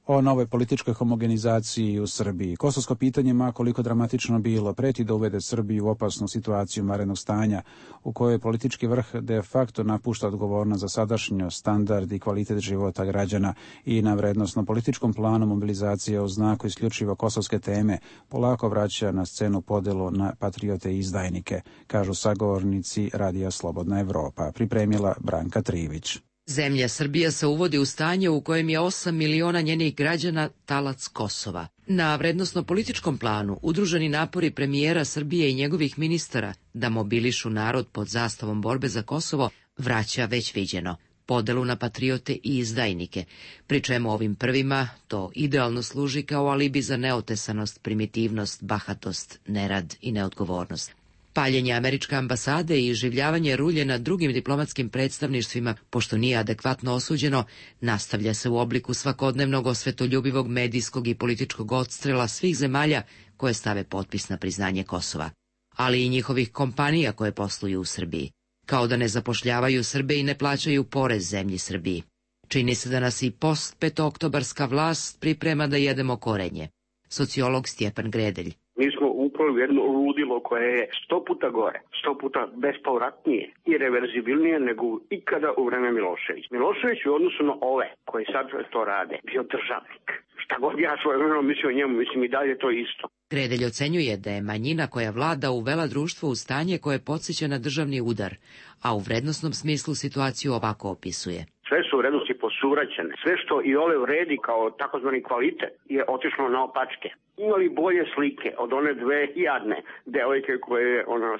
O novoj političkoj homogenizaciji u Srbiji. Kosovsko pitanje, ma koliko dramatično bilo, preti da uvede Srbiju u opasnu situaciju vanrednog stanja, u kojoj politički vrh de facto napušta odgovornost za sadašnjost, standard i kvalitet života građana i na vrednostno političkom planu mobilizacije u znaku isključivo kosovske teme polako vraća na scenu podelu na patriote i izdajnike, kažu sagovornici Radija Slobodna Evropa. Pripremila Branka Trivić. Zemlja Srbija se uvodi u stanje u kojem je 8 miliona njenih građana talac Kosova. Na vrednosno-političkom planu udruženi napori premijera Srbije i njegovih ministara da mobilišu narod pod zastavom borbe za Kosovo vraća već viđeno podelu na patriote i izdajnike, pri čemu ovim prvima to idealno služi kao alibi za neotesanost, primitivnost, bahatost, nerad i neodgovornost. Paljenje američke ambasade i iživljavanje rulje na drugim diplomatskim predstavništvima, pošto nije adekvatno osuđeno, nastavlja se u obliku svakodnevnog osvetoljubivog medijskog i političkog odstrela svih zemalja koje stave potpis na priznanje Kosova, ali i njihovih kompanija koje posluju u Srbiji, kao da ne zapošljavaju Srbe i ne plaćaju porez zemlji Srbiji. Čini se da nas i post-petooktobarska vlast priprema da jedemo korenje. Sociolog Stjepan Gredelj. Mi smo upali u jedno ludilo koje je 100 puta gore, 100 puta bespovratnije i reverzibilnije nego ikada u vreme Miloševića. Milošević u odnosu na ove koji sad to rade bio državnik. Šta god ja svoje vremeno mislio o njemu, mislim i dalje to isto. Gredelj ocenjuje da je manjina koja vlada uvela društvo u stanje koje podsjeća na državni udar, a u vrednosnom smislu situaciju ovako opisuje. Sve su vrednosti po posuraćene. Sve što i ole vredi kao takozvani kvalitet je otišlo na opačke. Imali bolje slike od one dve jadne devojke koje je ona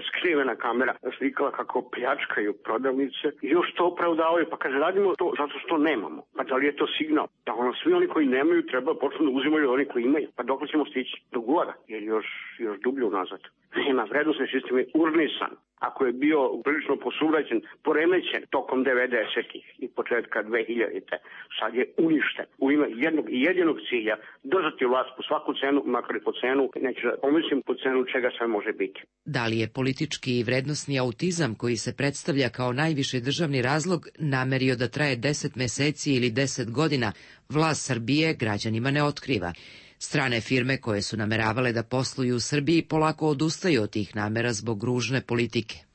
skrivena kamera slikala kako pljačkaju prodavnice i još to opravdavaju. Pa kaže, radimo to zato što nemamo. Pa da li je to signal? Da svi oni koji nemaju treba počnu da uzimaju oni koji imaju. Pa dok ćemo stići? Do gora, jer još dublje unazad. Nema, vrednostni sistem je urnisan. Ako je bio prilično posuvraćen, poremećen tokom 90-ih i početka 2000-te, sad je uništen. U ime jednog i jedinog cilja držati vlast po svaku cenu, makar i po cenu, neću da pomislim po cenu čega sve može biti. Da li je politički i vrednosni autizam koji se predstavlja kao najviši državni razlog namerio da traje 10 meseci ili 10 godina, vlast Srbije građanima ne otkriva. Strane firme koje su nameravale da posluju u Srbiji polako odustaju od tih namera zbog ružne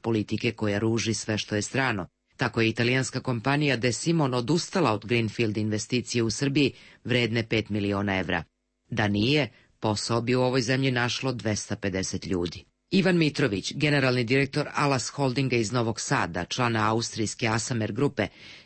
politike koja ruži sve što je strano. Tako je italijanska kompanija De Simon odustala od Greenfield investicije u Srbiji vredne 5 miliona evra. Da nije, posao bi u ovoj zemlji našlo 250 ljudi. Ivan Mitrović, generalni direktor Alas Holdinga iz Novog Sada, člana austrijske Asamer grupe,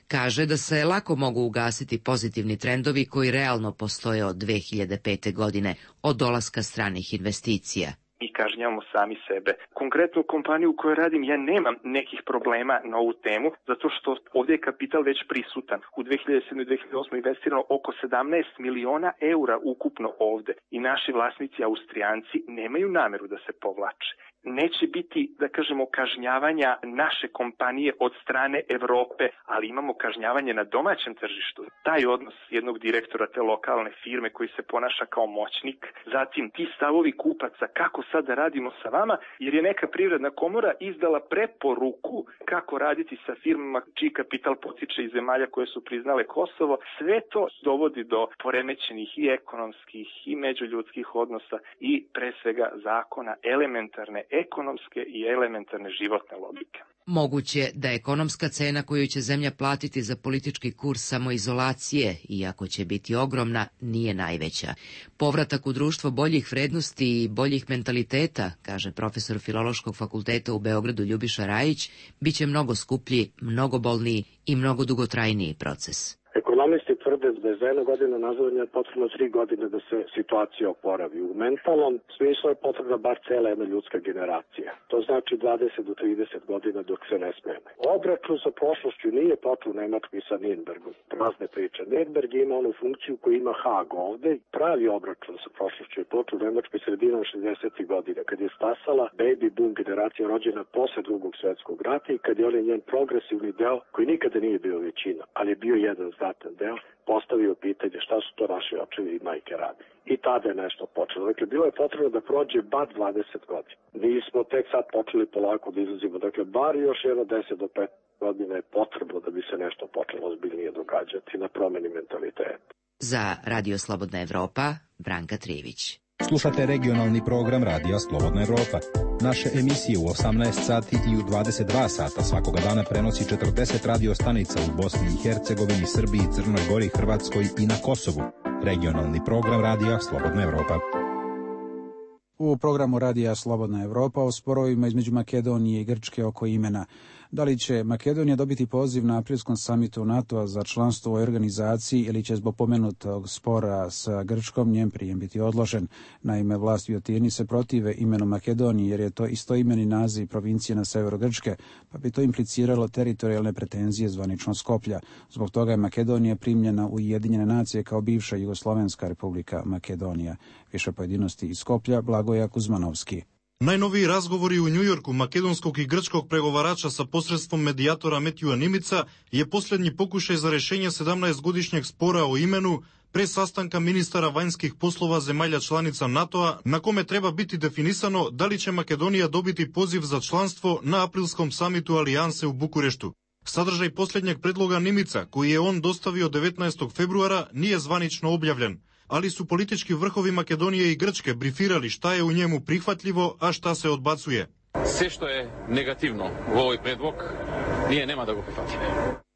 kaže da se lako mogu ugasiti pozitivni trendovi koji realno postoje od 2005. godine, od dolaska stranih investicija. Mi kažnjavamo sami sebe. Konkretno u kompaniju u kojoj radim ja nemam nekih problema na ovu temu, zato što ovdje je kapital već prisutan. U 2007. i 2008. investirano oko 17 miliona eura ukupno ovdje i naši vlasnici Austrijanci nemaju nameru da se povlače. Neće biti, da kažemo, kažnjavanja naše kompanije od strane Evrope, ali imamo kažnjavanje na domaćem tržištu. Taj odnos jednog direktora te lokalne firme koji se ponaša kao moćnik, zatim ti stavovi kupaca, kako sad da radimo sa vama, jer je neka privredna komora izdala preporuku kako raditi sa firmama čiji kapital potiče iz zemalja koje su priznale Kosovo. Sve to dovodi do poremećenih i ekonomskih i međuljudskih odnosa i pre svega zakona elementarne ekonomske i elementarne životne logike. Moguće da ekonomska cena koju će zemlja platiti za politički kurs samoizolacije, iako će biti ogromna, nije najveća. Povratak u društvo boljih vrednosti i boljih mentaliteta, kaže profesor Filološkog fakulteta u Beogradu Ljubiša Rajić, bit će mnogo skuplji, mnogo bolniji i mnogo dugotrajniji proces. Ekonomisti tvrde da je za 1 godinu nazadovanja potrebno 3 godine da se situacija oporavi. U mentalnom smislu je potrebna bar cela jedna ljudska generacija. To znači 20 do 30 godina dok se ne smene. Obračun sa prošlošću nije počeo u Nemačkoj sa Nürnbergom. Prazne priče. Nürnberg ima onu funkciju koju ima Haag ovde. Pravi obračun sa prošlošću je počeo u Nemačkoj sredinom 60. godina, kad je stasala baby boom generacija rođena posle Drugog svjetskog rata i kad je on njen progresivni deo, koji nikada nije bio većina, ali je bio jedan znatan deo, postavio pitanje šta su to naši očevi i majke radi. I tada je nešto počelo. Dakle, bilo je potrebno da prođe bar 20 godina. Mi smo tek sad počeli polako da izlazimo. Dakle, bar još 10 do 15 godina je potrebno da bi se nešto počelo ozbiljnije događati na promeni mentaliteta. Za Radio Slobodna Evropa, Branka Trivić. Slušate regionalni program Radija Slobodna Evropa. Naše emisije u 18 sati i u 22 sata svakoga dana prenosi 40 radio stanica u Bosni i Hercegovini, Srbiji, Crnoj Gori, Hrvatskoj i na Kosovu. Regionalni program Radija Slobodna Evropa. U programu Radija Slobodna Evropa o sporovima između Makedonije i Grčke oko imena. Da li će Makedonija dobiti poziv na aprilskom samitu NATO-a za članstvo u organizaciji ili će zbog pomenutog spora sa Grčkom njen prijem biti odložen? Naime, vlasti u Atini se protive imenu Makedonije jer je to istoimeni naziv provincije na severu Grčke, pa bi to impliciralo teritorijalne pretenzije zvanično Skoplja. Zbog toga je Makedonija primljena u Ujedinjene nacije kao bivša Jugoslovenska republika Makedonija. Više pojedinosti iz Skoplja, Blagoja Kuzmanovski. Najnoviji razgovori u Njujorku makedonskog i grčkog pregovarača sa posredstvom medijatora Metjua Nimica je posljednji pokušaj za rešenje 17-godišnjeg spora o imenu pre sastanka ministara vanjskih poslova zemalja članica NATO-a, na kome treba biti definisano da li će Makedonija dobiti poziv za članstvo na aprilskom samitu Alijanse u Bukureštu. Sadržaj posljednjeg predloga Nimica, koji je on dostavio 19. februara, nije zvanično objavljen, ali su politički vrhovi Makedonije i Grčke brifirali šta je u njemu prihvatljivo, a šta se odbacuje. Sve što je negativno u ovoj predlog, nema da ga prihvatimo.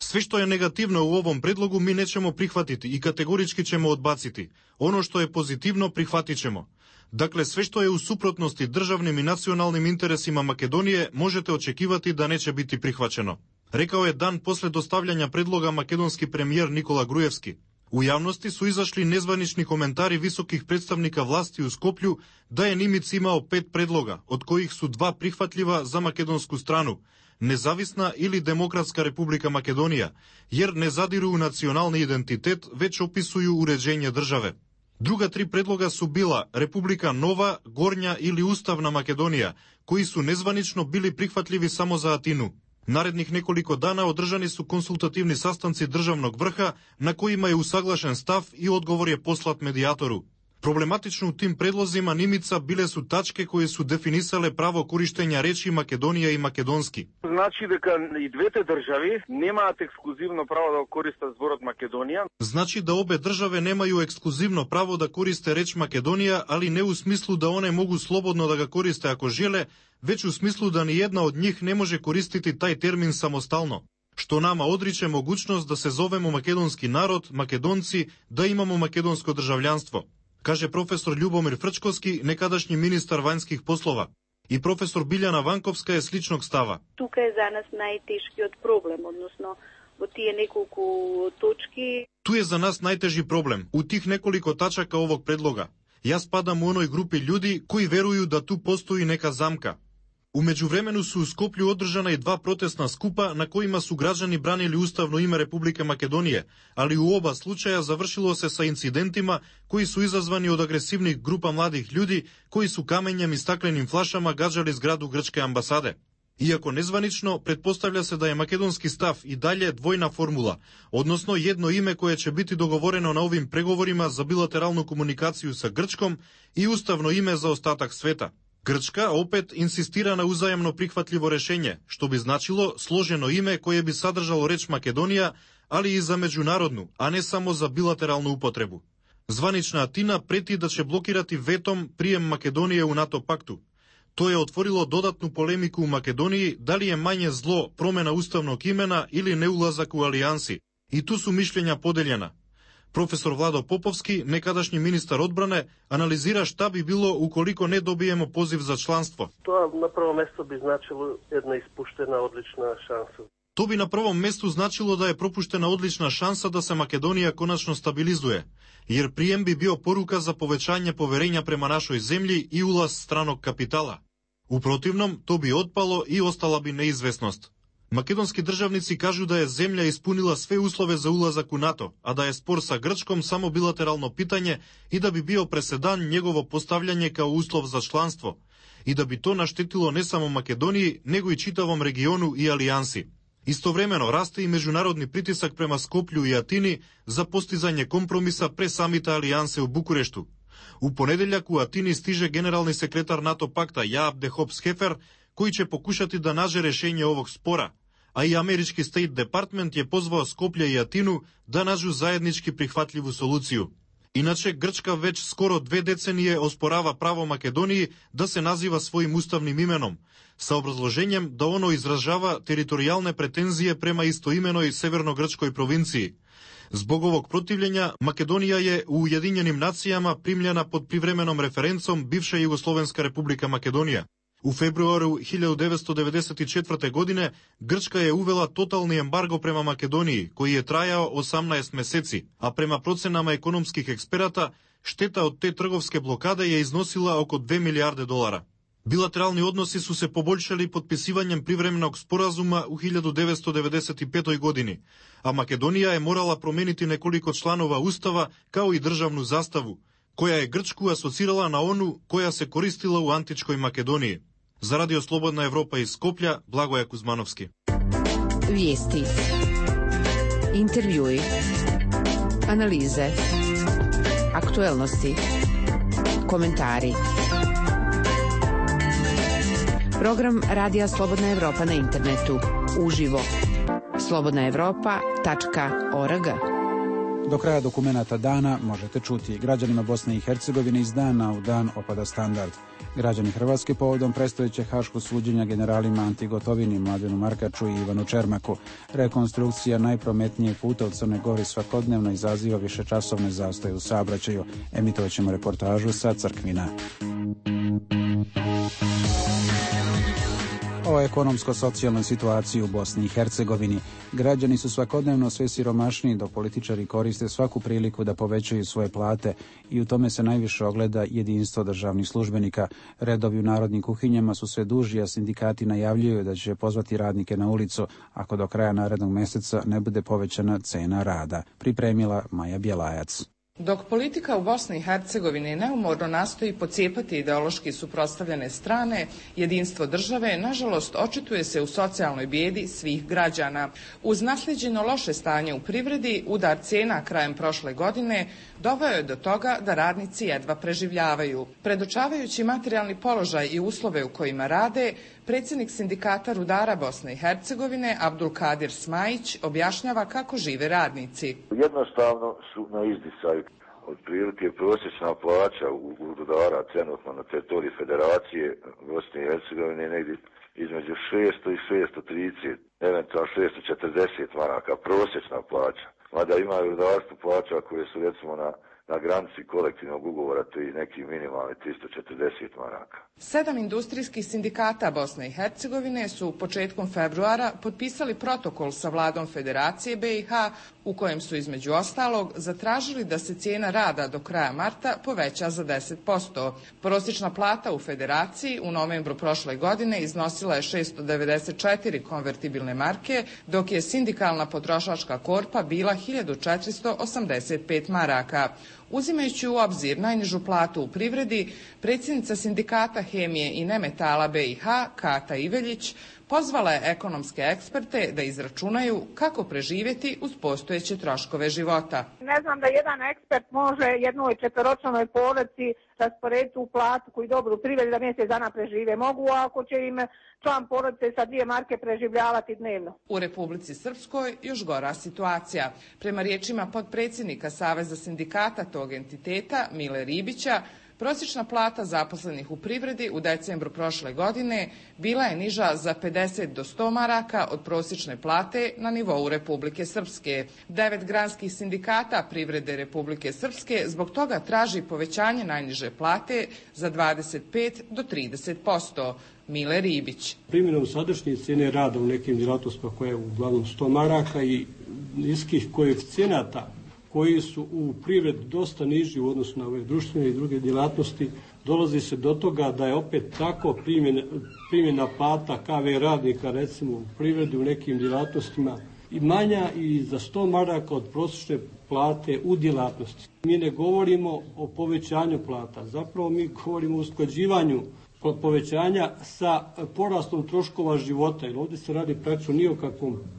Sve što je negativno u ovom predlogu mi nećemo prihvatiti i kategorički ćemo odbaciti. Ono što je pozitivno prihvatit ćemo. Dakle, sve što je u suprotnosti državnim i nacionalnim interesima Makedonije možete očekivati da neće biti prihvaćeno. Rekao je dan posle dostavljanja predloga makedonski premijer Nikola Gruevski. U javnosti su izašli nezvanični komentari visokih predstavnika vlasti u Skoplju da je Nimic imao 5 predloga, od kojih su 2 prihvatljiva za makedonsku stranu, Nezavisna ili Demokratska Republika Makedonija, jer ne zadiru u nacionalni identitet, već opisuju uređenje države. Druga 3 predloga su bila Republika Nova, Gornja ili Ustavna Makedonija, koji su nezvanično bili prihvatljivi samo za Atinu. Narednih nekoliko dana održani su konsultativni sastanci državnog vrha na kojima je usaglašen stav i odgovor je poslat medijatoru. Problematično u tim predlozima Nimica bile su tačke koje su definisale pravo korištenja reči Makedonija i makedonski. Значи дека и двете држави немаат ексклузивно право да користат зборот Македонија. Значи да обе државе немају ексклузивно право да користе реч Македонија, али не у смислу да one могу слободно да ga користе ако желе, веќе у смислу да ни една од нив не може користити тај термин самостално, што нама одриче могуćност да се зовемо македонски народ, македонци, да имамо македонско држављанство, каже професор Љубомир Фрчковски, некадашњи министар вањских послова. И професор Билјана Ванковска е сличног става. Тука е за нас најтешкиот проблем, односно во тие неколку точки. Ту е за нас најтежи проблем, у тих неколико тачака овог предлога. Јас падам у оној групи људи кои верују да ту постои нека замка. У меѓувремену су у Скопју одржана и 2 протестна скупа на коима су граѓани бранили уставно име Република Македонија, али у оба случаја завршило се са инцидентима кои су изазвани од агресивни група младих људи кои су камењем и стакленим флашама гаđали зграду грчке амбасаде. Иако незванично, претпоставља се да е македонски став и далje двојна формула, односно едно име кое ќе бити договорено на овим преговорима за билатералну комуникацију са Грчком и уставно име за остатак света. Грчка опет инсистира на узаемно прихватливо решење, што би значило сложено име кое би садржало реч Македонија, али и за меѓународну, а не само за билатералну употребу. Званична Атина прети да ќе блокирати ветом прием Македонија у НАТО пакту. Тоа е отворило додатну полемику у Македонија дали е мање зло промена уставног имена или неулазак у алијанси. И ту су мишлења поделјена. Професор Владо Поповски, некадашњи министар одбране, анализира шта би било уколико не добиемо позив за членство. Тоа на прво место би значило една испуштена одлична шанса. Тоа би на прво место значило да е пропуштена одлична шанса да се Македонија конечно стабилизуе, jer прием би био порука за повеćање поверења према нашој земји и улаз страног капитала. У противном, то би отпало и остала би неизвестност. Македонски државници кажу да е земја испунила све услове за улазак у НАТО, а да е спор са Грчком само билатерално питање и да би био преседан негово постављање као услов за членство, и да би то наштетило не само Македонија, него и читавом региону и алијанси. Истовремено расте и меѓународни притисак према Скопју и Атини за постизање компромиса пре самите алијансе у Букурешту. У понеделјак у Атини стиже генерални секретар НАТО пакта Јаап де Хопс-Хефер, кој ќе покушати да наже решење овог спора, а и Амерички Стейт Департмент ја позваа Скопје и Атину да наđу заеднички прихватливу солуцију. Иначе Грчка веќе скоро 2 деценije оспорава право Македонија да се назива својим уставним именом, са образложењем да оно изражава територијалне претензije према истоименој северногрчкој провинцiji. Због овог противлења, Македонија е у Уединjenим нацијама примљена под привременом референцом бивша Југословенска република Македонија. У февруару 1994 године Грчка е увела тотални ембарго према Македонија, кој е трајао 18 месеци, а према проценама економских експерата, штета од те трговске блокаде ја износила око 2 милијарди долара. Билатерални односи су се побољшали подписивањем привременог споразума у 1995 години, а Македонија е морала променити неколико чланова устава, као и државну заставу, која е Грчку асоцирала на ону која се користила у античкој Македонија. За Радио Слободна Европа из Скопја, Благоја Кузмановски. Виести, интервјуи, анализе, актуелности, коментари. Program Radija Slobodna Evropa na internetu. Uživo. slobodnaevropa.org. Do kraja dokumenata dana možete čuti: građanima Bosne i Hercegovine iz dana u dan opada standard. Građani Hrvatske povodom predstojećeg haškog suđenja generalima Anti Gotovini, Mladenu Markaču i Ivanu Čermaku. Rekonstrukcija najprometnijeg puta u Crnoj Gori svakodnevno izaziva višečasovne zastoje u saobraćaju. Emitovaćemo reportažu sa Crkvina. o ekonomsko-socijalnoj situaciji u Bosni i Hercegovini. Građani su svakodnevno sve siromašniji, dok političari koriste svaku priliku da povećaju svoje plate i u tome se najviše ogleda jedinstvo državnih službenika. Redovi u narodnim kuhinjama su sve duži, a sindikati najavljuju da će pozvati radnike na ulicu ako do kraja narednog meseca ne bude povećana cena rada. Pripremila Maja Bjelajac. Dok politika u Bosni i Hercegovini neumorno nastoji pocijepati ideološki suprotstavljene strane, jedinstvo države, nažalost, očituje se u socijalnoj bijedi svih građana. Uz naslijeđeno loše stanje u privredi, udar cijena krajem prošle godine doveo je do toga da radnici jedva preživljavaju. Predočavajući materijalni položaj i uslove u kojima rade, predsjednik sindikata rudara Bosne i Hercegovine, Abdulkadir Smajić, objašnjava kako žive radnici. Jednostavno su na izdisaju. Otprilike prosječna plaća u rudara trenutno na teritoriji Federacije Bosne i Hercegovine negdje između 600 i 630, eventualno 640 maraka, prosječna plaća. Mada ima i rudarstvo plaća koje su recimo na granici kolektivnog ugovora, to je neki minimalni 340 maraka. 7 industrijskih sindikata Bosne i Hercegovine su početkom februara potpisali protokol sa vladom Federacije BiH u kojem su između ostalog zatražili da se cijena rada do kraja marta poveća za 10%. Prosječna plata u Federaciji u novembru prošle godine iznosila je 694 konvertibilne marke, dok je sindikalna potrošačka korpa bila 1485 maraka. Uzimajući u obzir najnižu platu u privredi, predsjednica sindikata hemije i nemetala BiH, Kata Iveljić, pozvala je ekonomske eksperte da izračunaju kako preživjeti uz postojeće troškove života. Ne znam da jedan ekspert može jednoj četveročlanoj porodici rasporediti u platu koju dobro u privredi da mjesec dana prežive. Mogu ako će im član porodice sa 2 marke preživljavati dnevno. U Republici Srpskoj još gora situacija. Prema riječima potpredsjednika Saveza sindikata tog entiteta, Mile Ribića, prosječna plata zaposlenih u privredi u decembru prošle godine bila je niža za 50 do 100 maraka od prosječne plate na nivou Republike Srpske. 9 granskih sindikata privrede Republike Srpske zbog toga traži povećanje najniže plate za 25 do 30%. Mile Ribić. Primjenom sadašnje cijene rada u nekim djelatnostima koje je uglavnom 100 maraka i niskih koeficijenata koji su u privredi dosta niži u odnosu na ove društvene i druge djelatnosti, dolazi se do toga da je opet tako primjena plata KV radnika recimo u privredi u nekim djelatnostima i manja i za 100 maraka od prosječne plate u djelatnosti. Mi ne govorimo o povećanju plata, zapravo mi govorimo o usklađivanju povećanja sa porastom troškova života, jer ovdje se radi praktično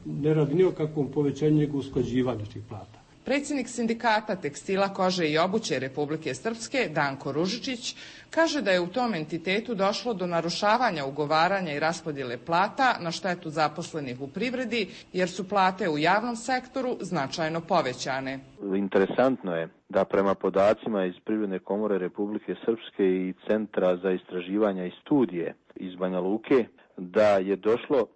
ne radi ni o kakvom povećanju nego usklađivanju tih plata. Predsjednik sindikata tekstila, kože i obuće Republike Srpske, Danko Ružičić, kaže da je u tom entitetu došlo do narušavanja ugovaranja i raspodjele plata na štetu zaposlenih u privredi, jer su plate u javnom sektoru značajno povećane. Interesantno je da prema podacima iz Privredne komore Republike Srpske i Centra za istraživanja i studije iz Banja Luke, da je došlo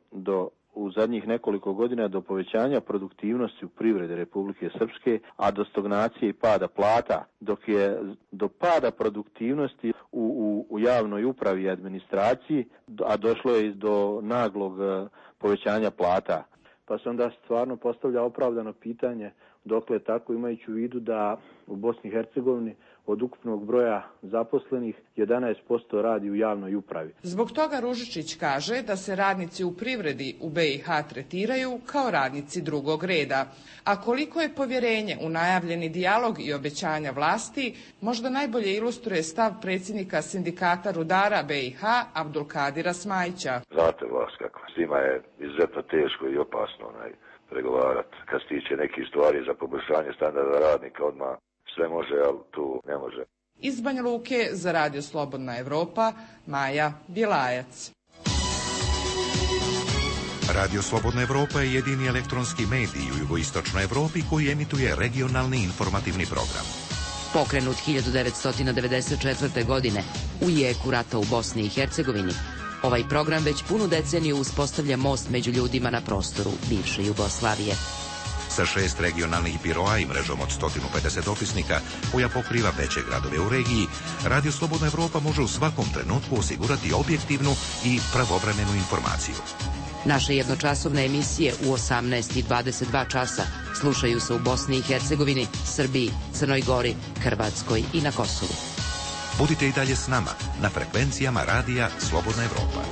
u zadnjih nekoliko godina do povećanja produktivnosti u privredi Republike Srpske, a do stagnacije i pada plata, dok je do pada produktivnosti u javnoj upravi i administraciji, a došlo je do naglog povećanja plata. Pa se onda stvarno postavlja opravdano pitanje dokle je tako, imajući u vidu da u Bosni i Hercegovini od ukupnog broja zaposlenih 11% radi u javnoj upravi. Zbog toga Ružičić kaže da se radnici u privredi u BiH tretiraju kao radnici drugog reda. A koliko je povjerenje u najavljeni dijalog i obećanja vlasti, možda najbolje ilustruje stav predsjednika sindikata rudara BiH, Abdulkadira Smajića. Znate vas kako, s njima je izuzetno teško i opasno pregovarati. Kad se tiče nekih stvari za poboljšanje standarda radnika, odmah sve može, ali tu ne može. Iz Banja Luke za Radio Slobodna Evropa, Maja Bjelajac. Radio Slobodna Evropa je jedini elektronski medij u jugoistočnoj Evropi koji emituje regionalni informativni program. Pokrenut 1994. godine u jeku rata u Bosni i Hercegovini, ovaj program već punu deceniju uspostavlja most među ljudima na prostoru bivše Jugoslavije. sa 6 regionalnih biroa i mrežom od 150 dopisnika koja pokriva veće gradove u regiji, Radio Slobodna Evropa može u svakom trenutku osigurati objektivnu i pravovremenu informaciju. Naše jednočasovne emisije u 18 i 22 časa slušaju se u Bosni i Hercegovini, Srbiji, Crnoj Gori, Hrvatskoj i na Kosovu. Budite i dalje s nama na frekvencijama Radija Slobodna Evropa.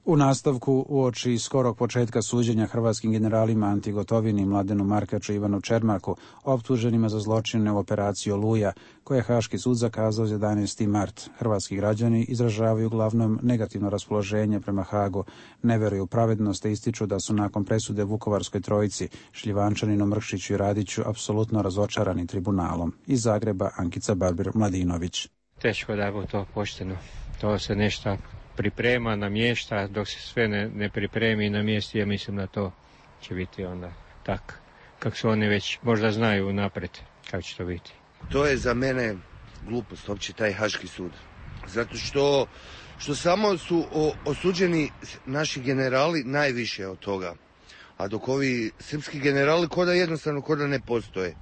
U nastavku, uoči skorog početka suđenja hrvatskim generalima Anti Gotovini, Mladenu Markaču i Ivanu Čermaku, optuženima za zločine u operaciji Oluja, koje je Haški sud zakazao za 11. mart. Hrvatski građani izražavaju uglavnom negativno raspoloženje prema Hagu, ne veruju u pravednost te ističu da su nakon presude Vukovarskoj trojici, Šljivančaninu, Mrkšiću i Radiću, apsolutno razočarani tribunalom. Iz Zagreba, Ankica Barber-Mladinović. Teško da je to pošteno. To se nešto priprema, namješta, dok se sve ne pripremi i namjesti, ja mislim da to će biti onda tak, kako su oni već možda znaju napred kako će to biti. To je za mene glupost, uopće taj Haški sud. Zato što samo su osuđeni naši generali najviše od toga. A dok ovi srpski generali jednostavno ne postoje.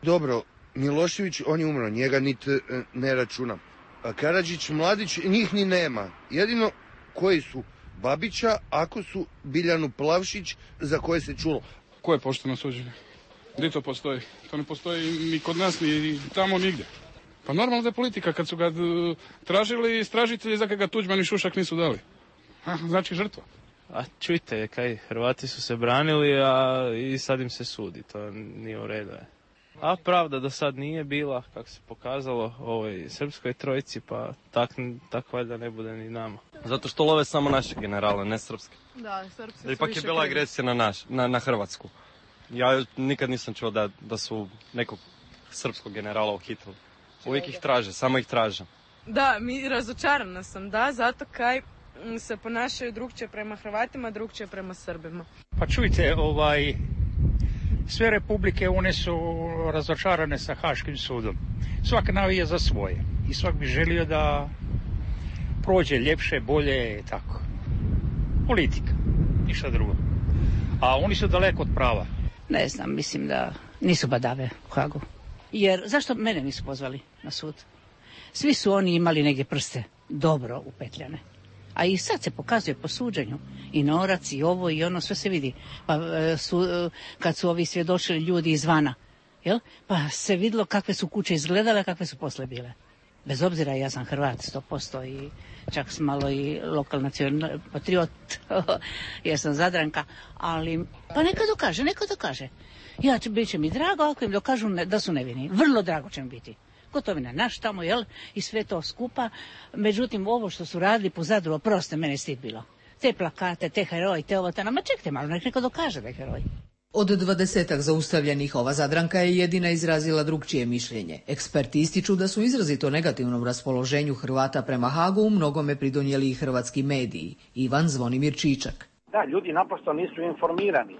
Dobro, Milošević, on je umro, njega niti ne računam. Karadžić, Mladić, njih ni nema. Jedino koji su Babića, ako su Biljanu Plavšić, za koje se čulo. Ko je pošteno suđenje? Gdje to postoji? To ne postoji ni kod nas, ni tamo, nigdje. Pa normalno da je politika, kad su ga tražili istražitelji, za ga Tuđman i Šušak nisu dali. Znači žrtva. A čujte, Hrvati su se branili, a i sad im se sudi, to nije u redu. A pravda do sad nije bila, kako se pokazalo, ovoj srpskoj trojici, pa tak valjda ne bude ni nama. Zato što love samo naše generale, ne srpske. Da, srpske su ipak je bila agresija na Hrvatsku. Ja nikad nisam čuo da su nekog srpskog generala uhitili. Uvijek ih traže, samo ih traže. Da, razočarana sam, zato kaj se ponašaju drugčije prema Hrvatima, drugčije prema Srbima. Pa čujte, sve republike, one su razočarane sa Haškim sudom. Svak navija za svoje i svak bi želio da prođe ljepše, bolje, tako. Politika, ništa drugo. A oni su daleko od prava. Ne znam, mislim da nisu badave u Hagu. Jer zašto mene nisu pozvali na sud? Svi su oni imali negdje prste dobro upetljane. A i sad se pokazuje po suđenju. I norac, i ovo, i ono, sve se vidi. Pa kad su ovi svjedočili ljudi izvana, pa se vidjelo kakve su kuće izgledale, kakve su posle bile. Bez obzira, ja sam Hrvat 100% i čak sam malo i lokalni patriot, jer sam Zadranka, ali pa neka dokaže. Bit će mi drago ako im dokažu da su nevini. Vrlo drago će mi biti. Gotovina naš tamo, i sve to skupa. Međutim, ovo što su radili po Zadru, oproste, mene stid bilo. Te plakate, te heroji, te ovo, ma čekajte malo, neko dokaže da je heroj. Od 20 zaustavljenih ova Zadranka je jedina izrazila drugčije mišljenje. Eksperti ističu da su izrazito negativnom raspoloženju Hrvata prema Hagu u mnogome pridonijeli i hrvatski mediji. Ivan Zvonimir Čičak. Da, ljudi naprosto nisu informirani.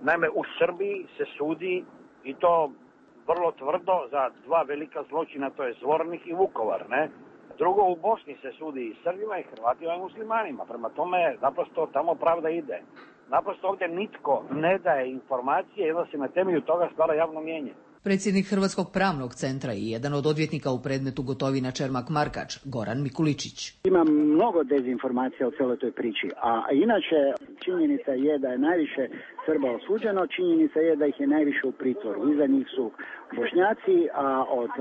Naime, u Srbiji se sudi i to vrlo tvrdo za dva velika zločina, to je Zvornik i Vukovar, ne? Drugo, u Bosni se sudi i Srbima i Hrvatima i muslimanima. Prema tome, naprosto tamo pravda ide. Naprosto ovdje nitko ne daje informacije i onda se na temelju toga stvara javno mnijenje. Predsjednik Hrvatskog pravnog centra i jedan od odvjetnika u predmetu Gotovina Čermak Markač, Goran Mikuličić. Ima mnogo dezinformacija o cijeloj toj priči, a inače činjenica je da je najviše Srba osuđeno, činjenica je da ih je najviše u pritvoru. Iza njih su Bošnjaci, a od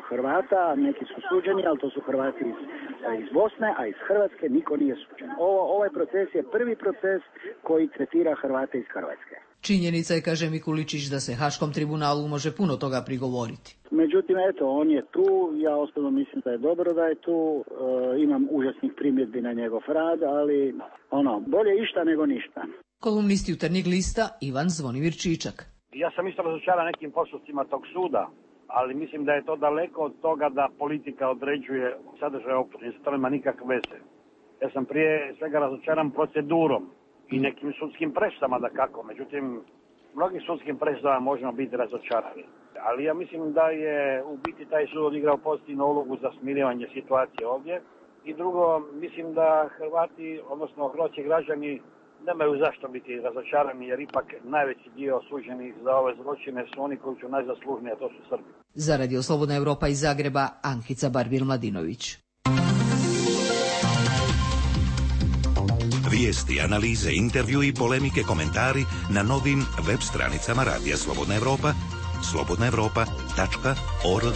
Hrvata neki su suđeni, ali to su Hrvati iz Bosne, a iz Hrvatske niko nije suđen. Ovaj proces je prvi proces koji tretira Hrvate iz Hrvatske. Činjenica je, kaže Mikuličić, da se Haškom tribunalu može puno toga prigovoriti. Međutim, on je tu, ja osobno mislim da je dobro da je tu, imam užasnih primjedbi na njegov rad, ali bolje išta nego ništa. Kolumnist Jutarnjeg lista Ivan Zvonimir Čičak. Ja sam isto razočaran nekim postupcima tog suda, ali mislim da je to daleko od toga da politika određuje sadržaj optužnice, to nema nikakve veze. Ja sam prije svega razočaran procedurom i nekim sudskim presudama dakako, međutim, mnogim sudskim presudama možemo biti razočarani. Ali ja mislim da je u biti taj sud odigrao pozitivnu ulogu za smirivanje situacije ovdje. I drugo, mislim da Hrvati, odnosno hrvatski građani, nemaju zašto biti razočarani, jer ipak najveći dio osuđenih za ove zločine su oni koji su najzaslužniji, a to su Srbi. Za Radio Slobodna Evropa iz Zagreba, Ankica Barbil-Mladinović. Vijesti, analize, intervju i polemike, komentari na novim web stranicama Radija Slobodna Evropa, slobodnaevropa.org.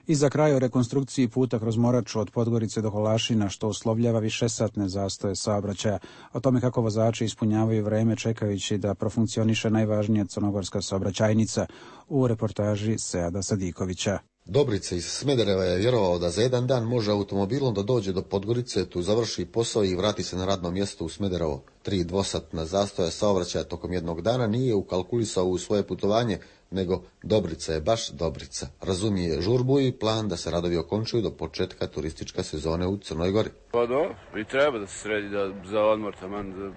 I za kraj o rekonstrukciji puta kroz Moraču od Podgorice do Holašina, što uslovljava višesatne zastoje saobraćaja. O tome kako vozači ispunjavaju vreme čekajući da profunkcioniše najvažnija crnogorska saobraćajnica, u reportaži Seada Sadikovića. Dobrica iz Smedereva je vjerovao da za jedan dan može automobilom da dođe do Podgorice, tu završi posao i vrati se na radno mjesto u Smederevo. 3 dvosatna zastoja saobraćaja tokom jednog dana nije ukalkulisao u svoje putovanje, nego Dobrica je baš Dobrica. Razumije žurbu i plan da se radovi okončuju do početka turističke sezone u Crnoj Gori. Pa do, i treba da se sredi za odmor taman,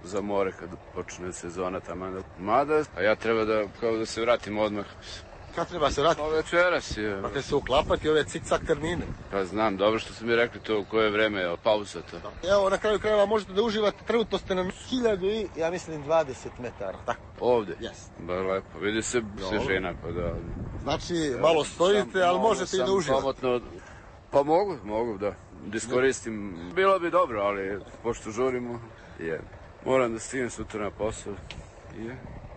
za more kad počne sezona taman. Mada, a ja treba da se vratim odmah. Kad treba se vratiti? Večeras je. Pa te se uklapati ove cik-cak termine. Pa znam, dobro što su mi rekli to u koje vreme je pauza to. Evo, na kraju krajeva možete da uživate, trenutno ste na 1020 metara, tako? Ovdje? Jes. Ba lepo, vidi se svežina, pa da. Znači, malo stojite, ali možete i da uživate. Pamotno, pa mogu da iskoristim. Bilo bi dobro, ali pošto žurimo, moram da stignem sutra na posao.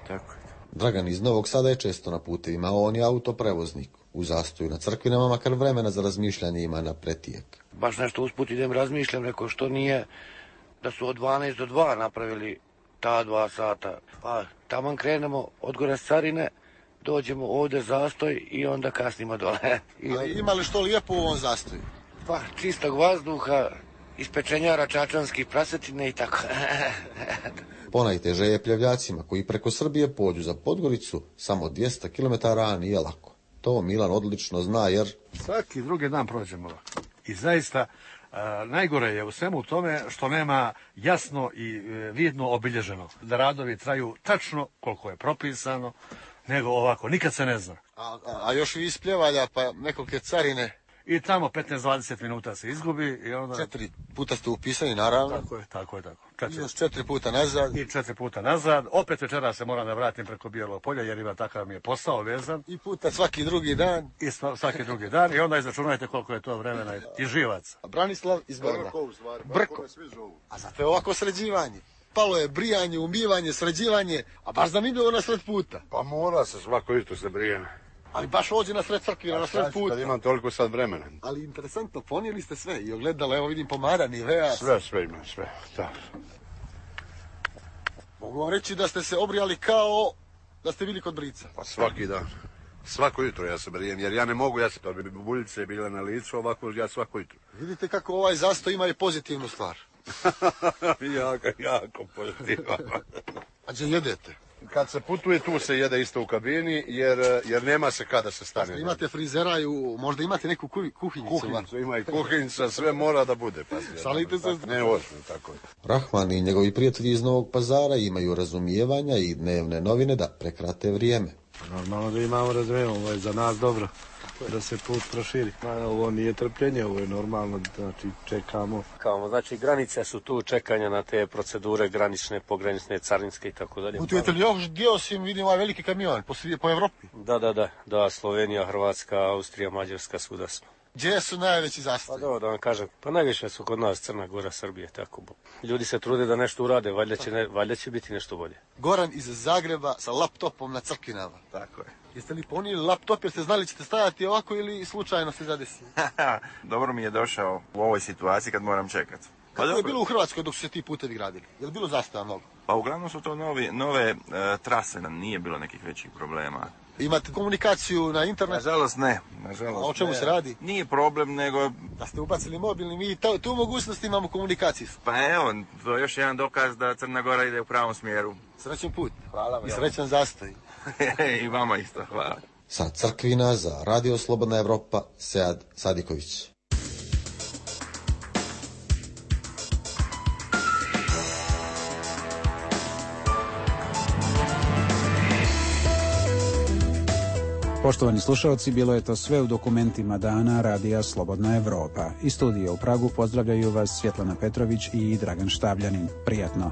Tako je. Dragan iz Novog Sada je često na putevima, on je autoprevoznik. U zastoju na Crkvinama, makar vremena za razmišljanje ima na pretijek. Baš nešto usput idem razmišljam, neko što nije da su od 12 do 2 napravili ta 2 sata. Pa taman krenemo od gore s Carine, dođemo ovdje zastoj i onda kasnimo dole. A ima li što lijepo u ovom zastoju? Pa čistog vazduha, ispečenjara čačanskih prasetine i tako. Ponajteže je pljevljacima koji preko Srbije pođu za Podgoricu samo 200 km, a nije lako. To Milan odlično zna jer... Svaki drugi dan prođemo ovako. I zaista najgore je u svemu tome što nema jasno i vidno obilježeno. Da radovi traju tačno koliko je propisano, nego ovako, nikad se ne zna. A još vi iz Pljevalja, pa nekolike Carine... I tamo 15-20 minuta se izgubi i onda... 4 puta ste upisani, naravno. Tako je. I još 4 puta nazad. I 4 puta nazad. Opet večera se moram da vratim preko Bijelog polja, jer ima takav mi je posao vezan. I puta svaki drugi dan. I svaki drugi dan. I onda izračunajte koliko je to vremena i živac. A Branislav iz Brda. Brko. A zato je ovako sređivanje. Palo je brijanje, umivanje, sređivanje, a baš zanimljivo na sred puta. Pa mora se svako jutro se brijene. Ali baš ovdje na sred Crkvina, na sred puta. Kad imam toliko sad vremena. Ali interesantno, ponijeli ste sve i ogledala, evo vidim pomara, Nivea. Sve imam, da. Mogu vam reći da ste se obrijali kao da ste bili kod brica. Pa svaki dan. Svako jutro ja se brijem, jer ja ne mogu, pa bi buljice bile na licu, ovako ja svako jutro. Vidite kako ovaj zastoj ima i pozitivnu stvar. jako pozitivno. A gdje jedete? Kad se putuje, tu se jede isto u kabini, jer nema se kada se stane. Pa imate frizera i možda imate neku kuhinjicu. Kuhinjicu, ima i kuhinjica, sve mora da bude. Šalite se? Ne, ozbiljno, tako je. Rahman i njegovi prijatelji iz Novog Pazara imaju razumijevanja i dnevne novine da prekrate vrijeme. Normalno da imamo razumijevanje, ovo je za nas dobro, da se put proširi. Ovo nije trpljenje, ovo je normalno, znači čekamo. Znači granice su tu, čekanja na te procedure granične, pogranične, carinske i tako dalje. Putujete li još gdje osim, vidim ovaj veliki kamion, po Evropi? Da, Slovenija, Hrvatska, Austrija, Mađarska, svuda smo. Gdje su najveći zastoji? Pa da vam kažem, pa najviše su kod nas Crna Gora, Srbije, tako. Ljudi se trude da nešto urade, valjda će biti nešto bolje. Goran iz Zagreba sa laptopom na Crkvinama. Tako je. Jeste li ponijeli laptop jer ste znali ćete stajati ovako ili slučajno se zadesili? Dobro mi je došao u ovoj situaciji kad moram čekati. Kako je bilo u Hrvatskoj dok su se ti putevi gradili? Je li bilo zastoja mnogo? Pa uglavnom su to nove trase, nije bilo nekih većih problema. Imate komunikaciju na internetu? Nažalost ne. A o čemu se radi? Nije problem, nego... Da ste ubacili mobilni, mi tu mogućnost imamo komunikaciju. Pa evo, to je još jedan dokaz da Crna Gora ide u pravom smjeru. Srećan put. Hvala vam. I srećan zastoj. I vama isto, hvala. Sa Crkvina za Radio Slobodna Evropa, Sead Sadiković. Poštovani slušalci, bilo je to sve u dokumentima dana Radija Slobodna Evropa. Iz studija u Pragu pozdravljaju vas Svjetlana Petrović i Dragan Štavljanin. Prijatno.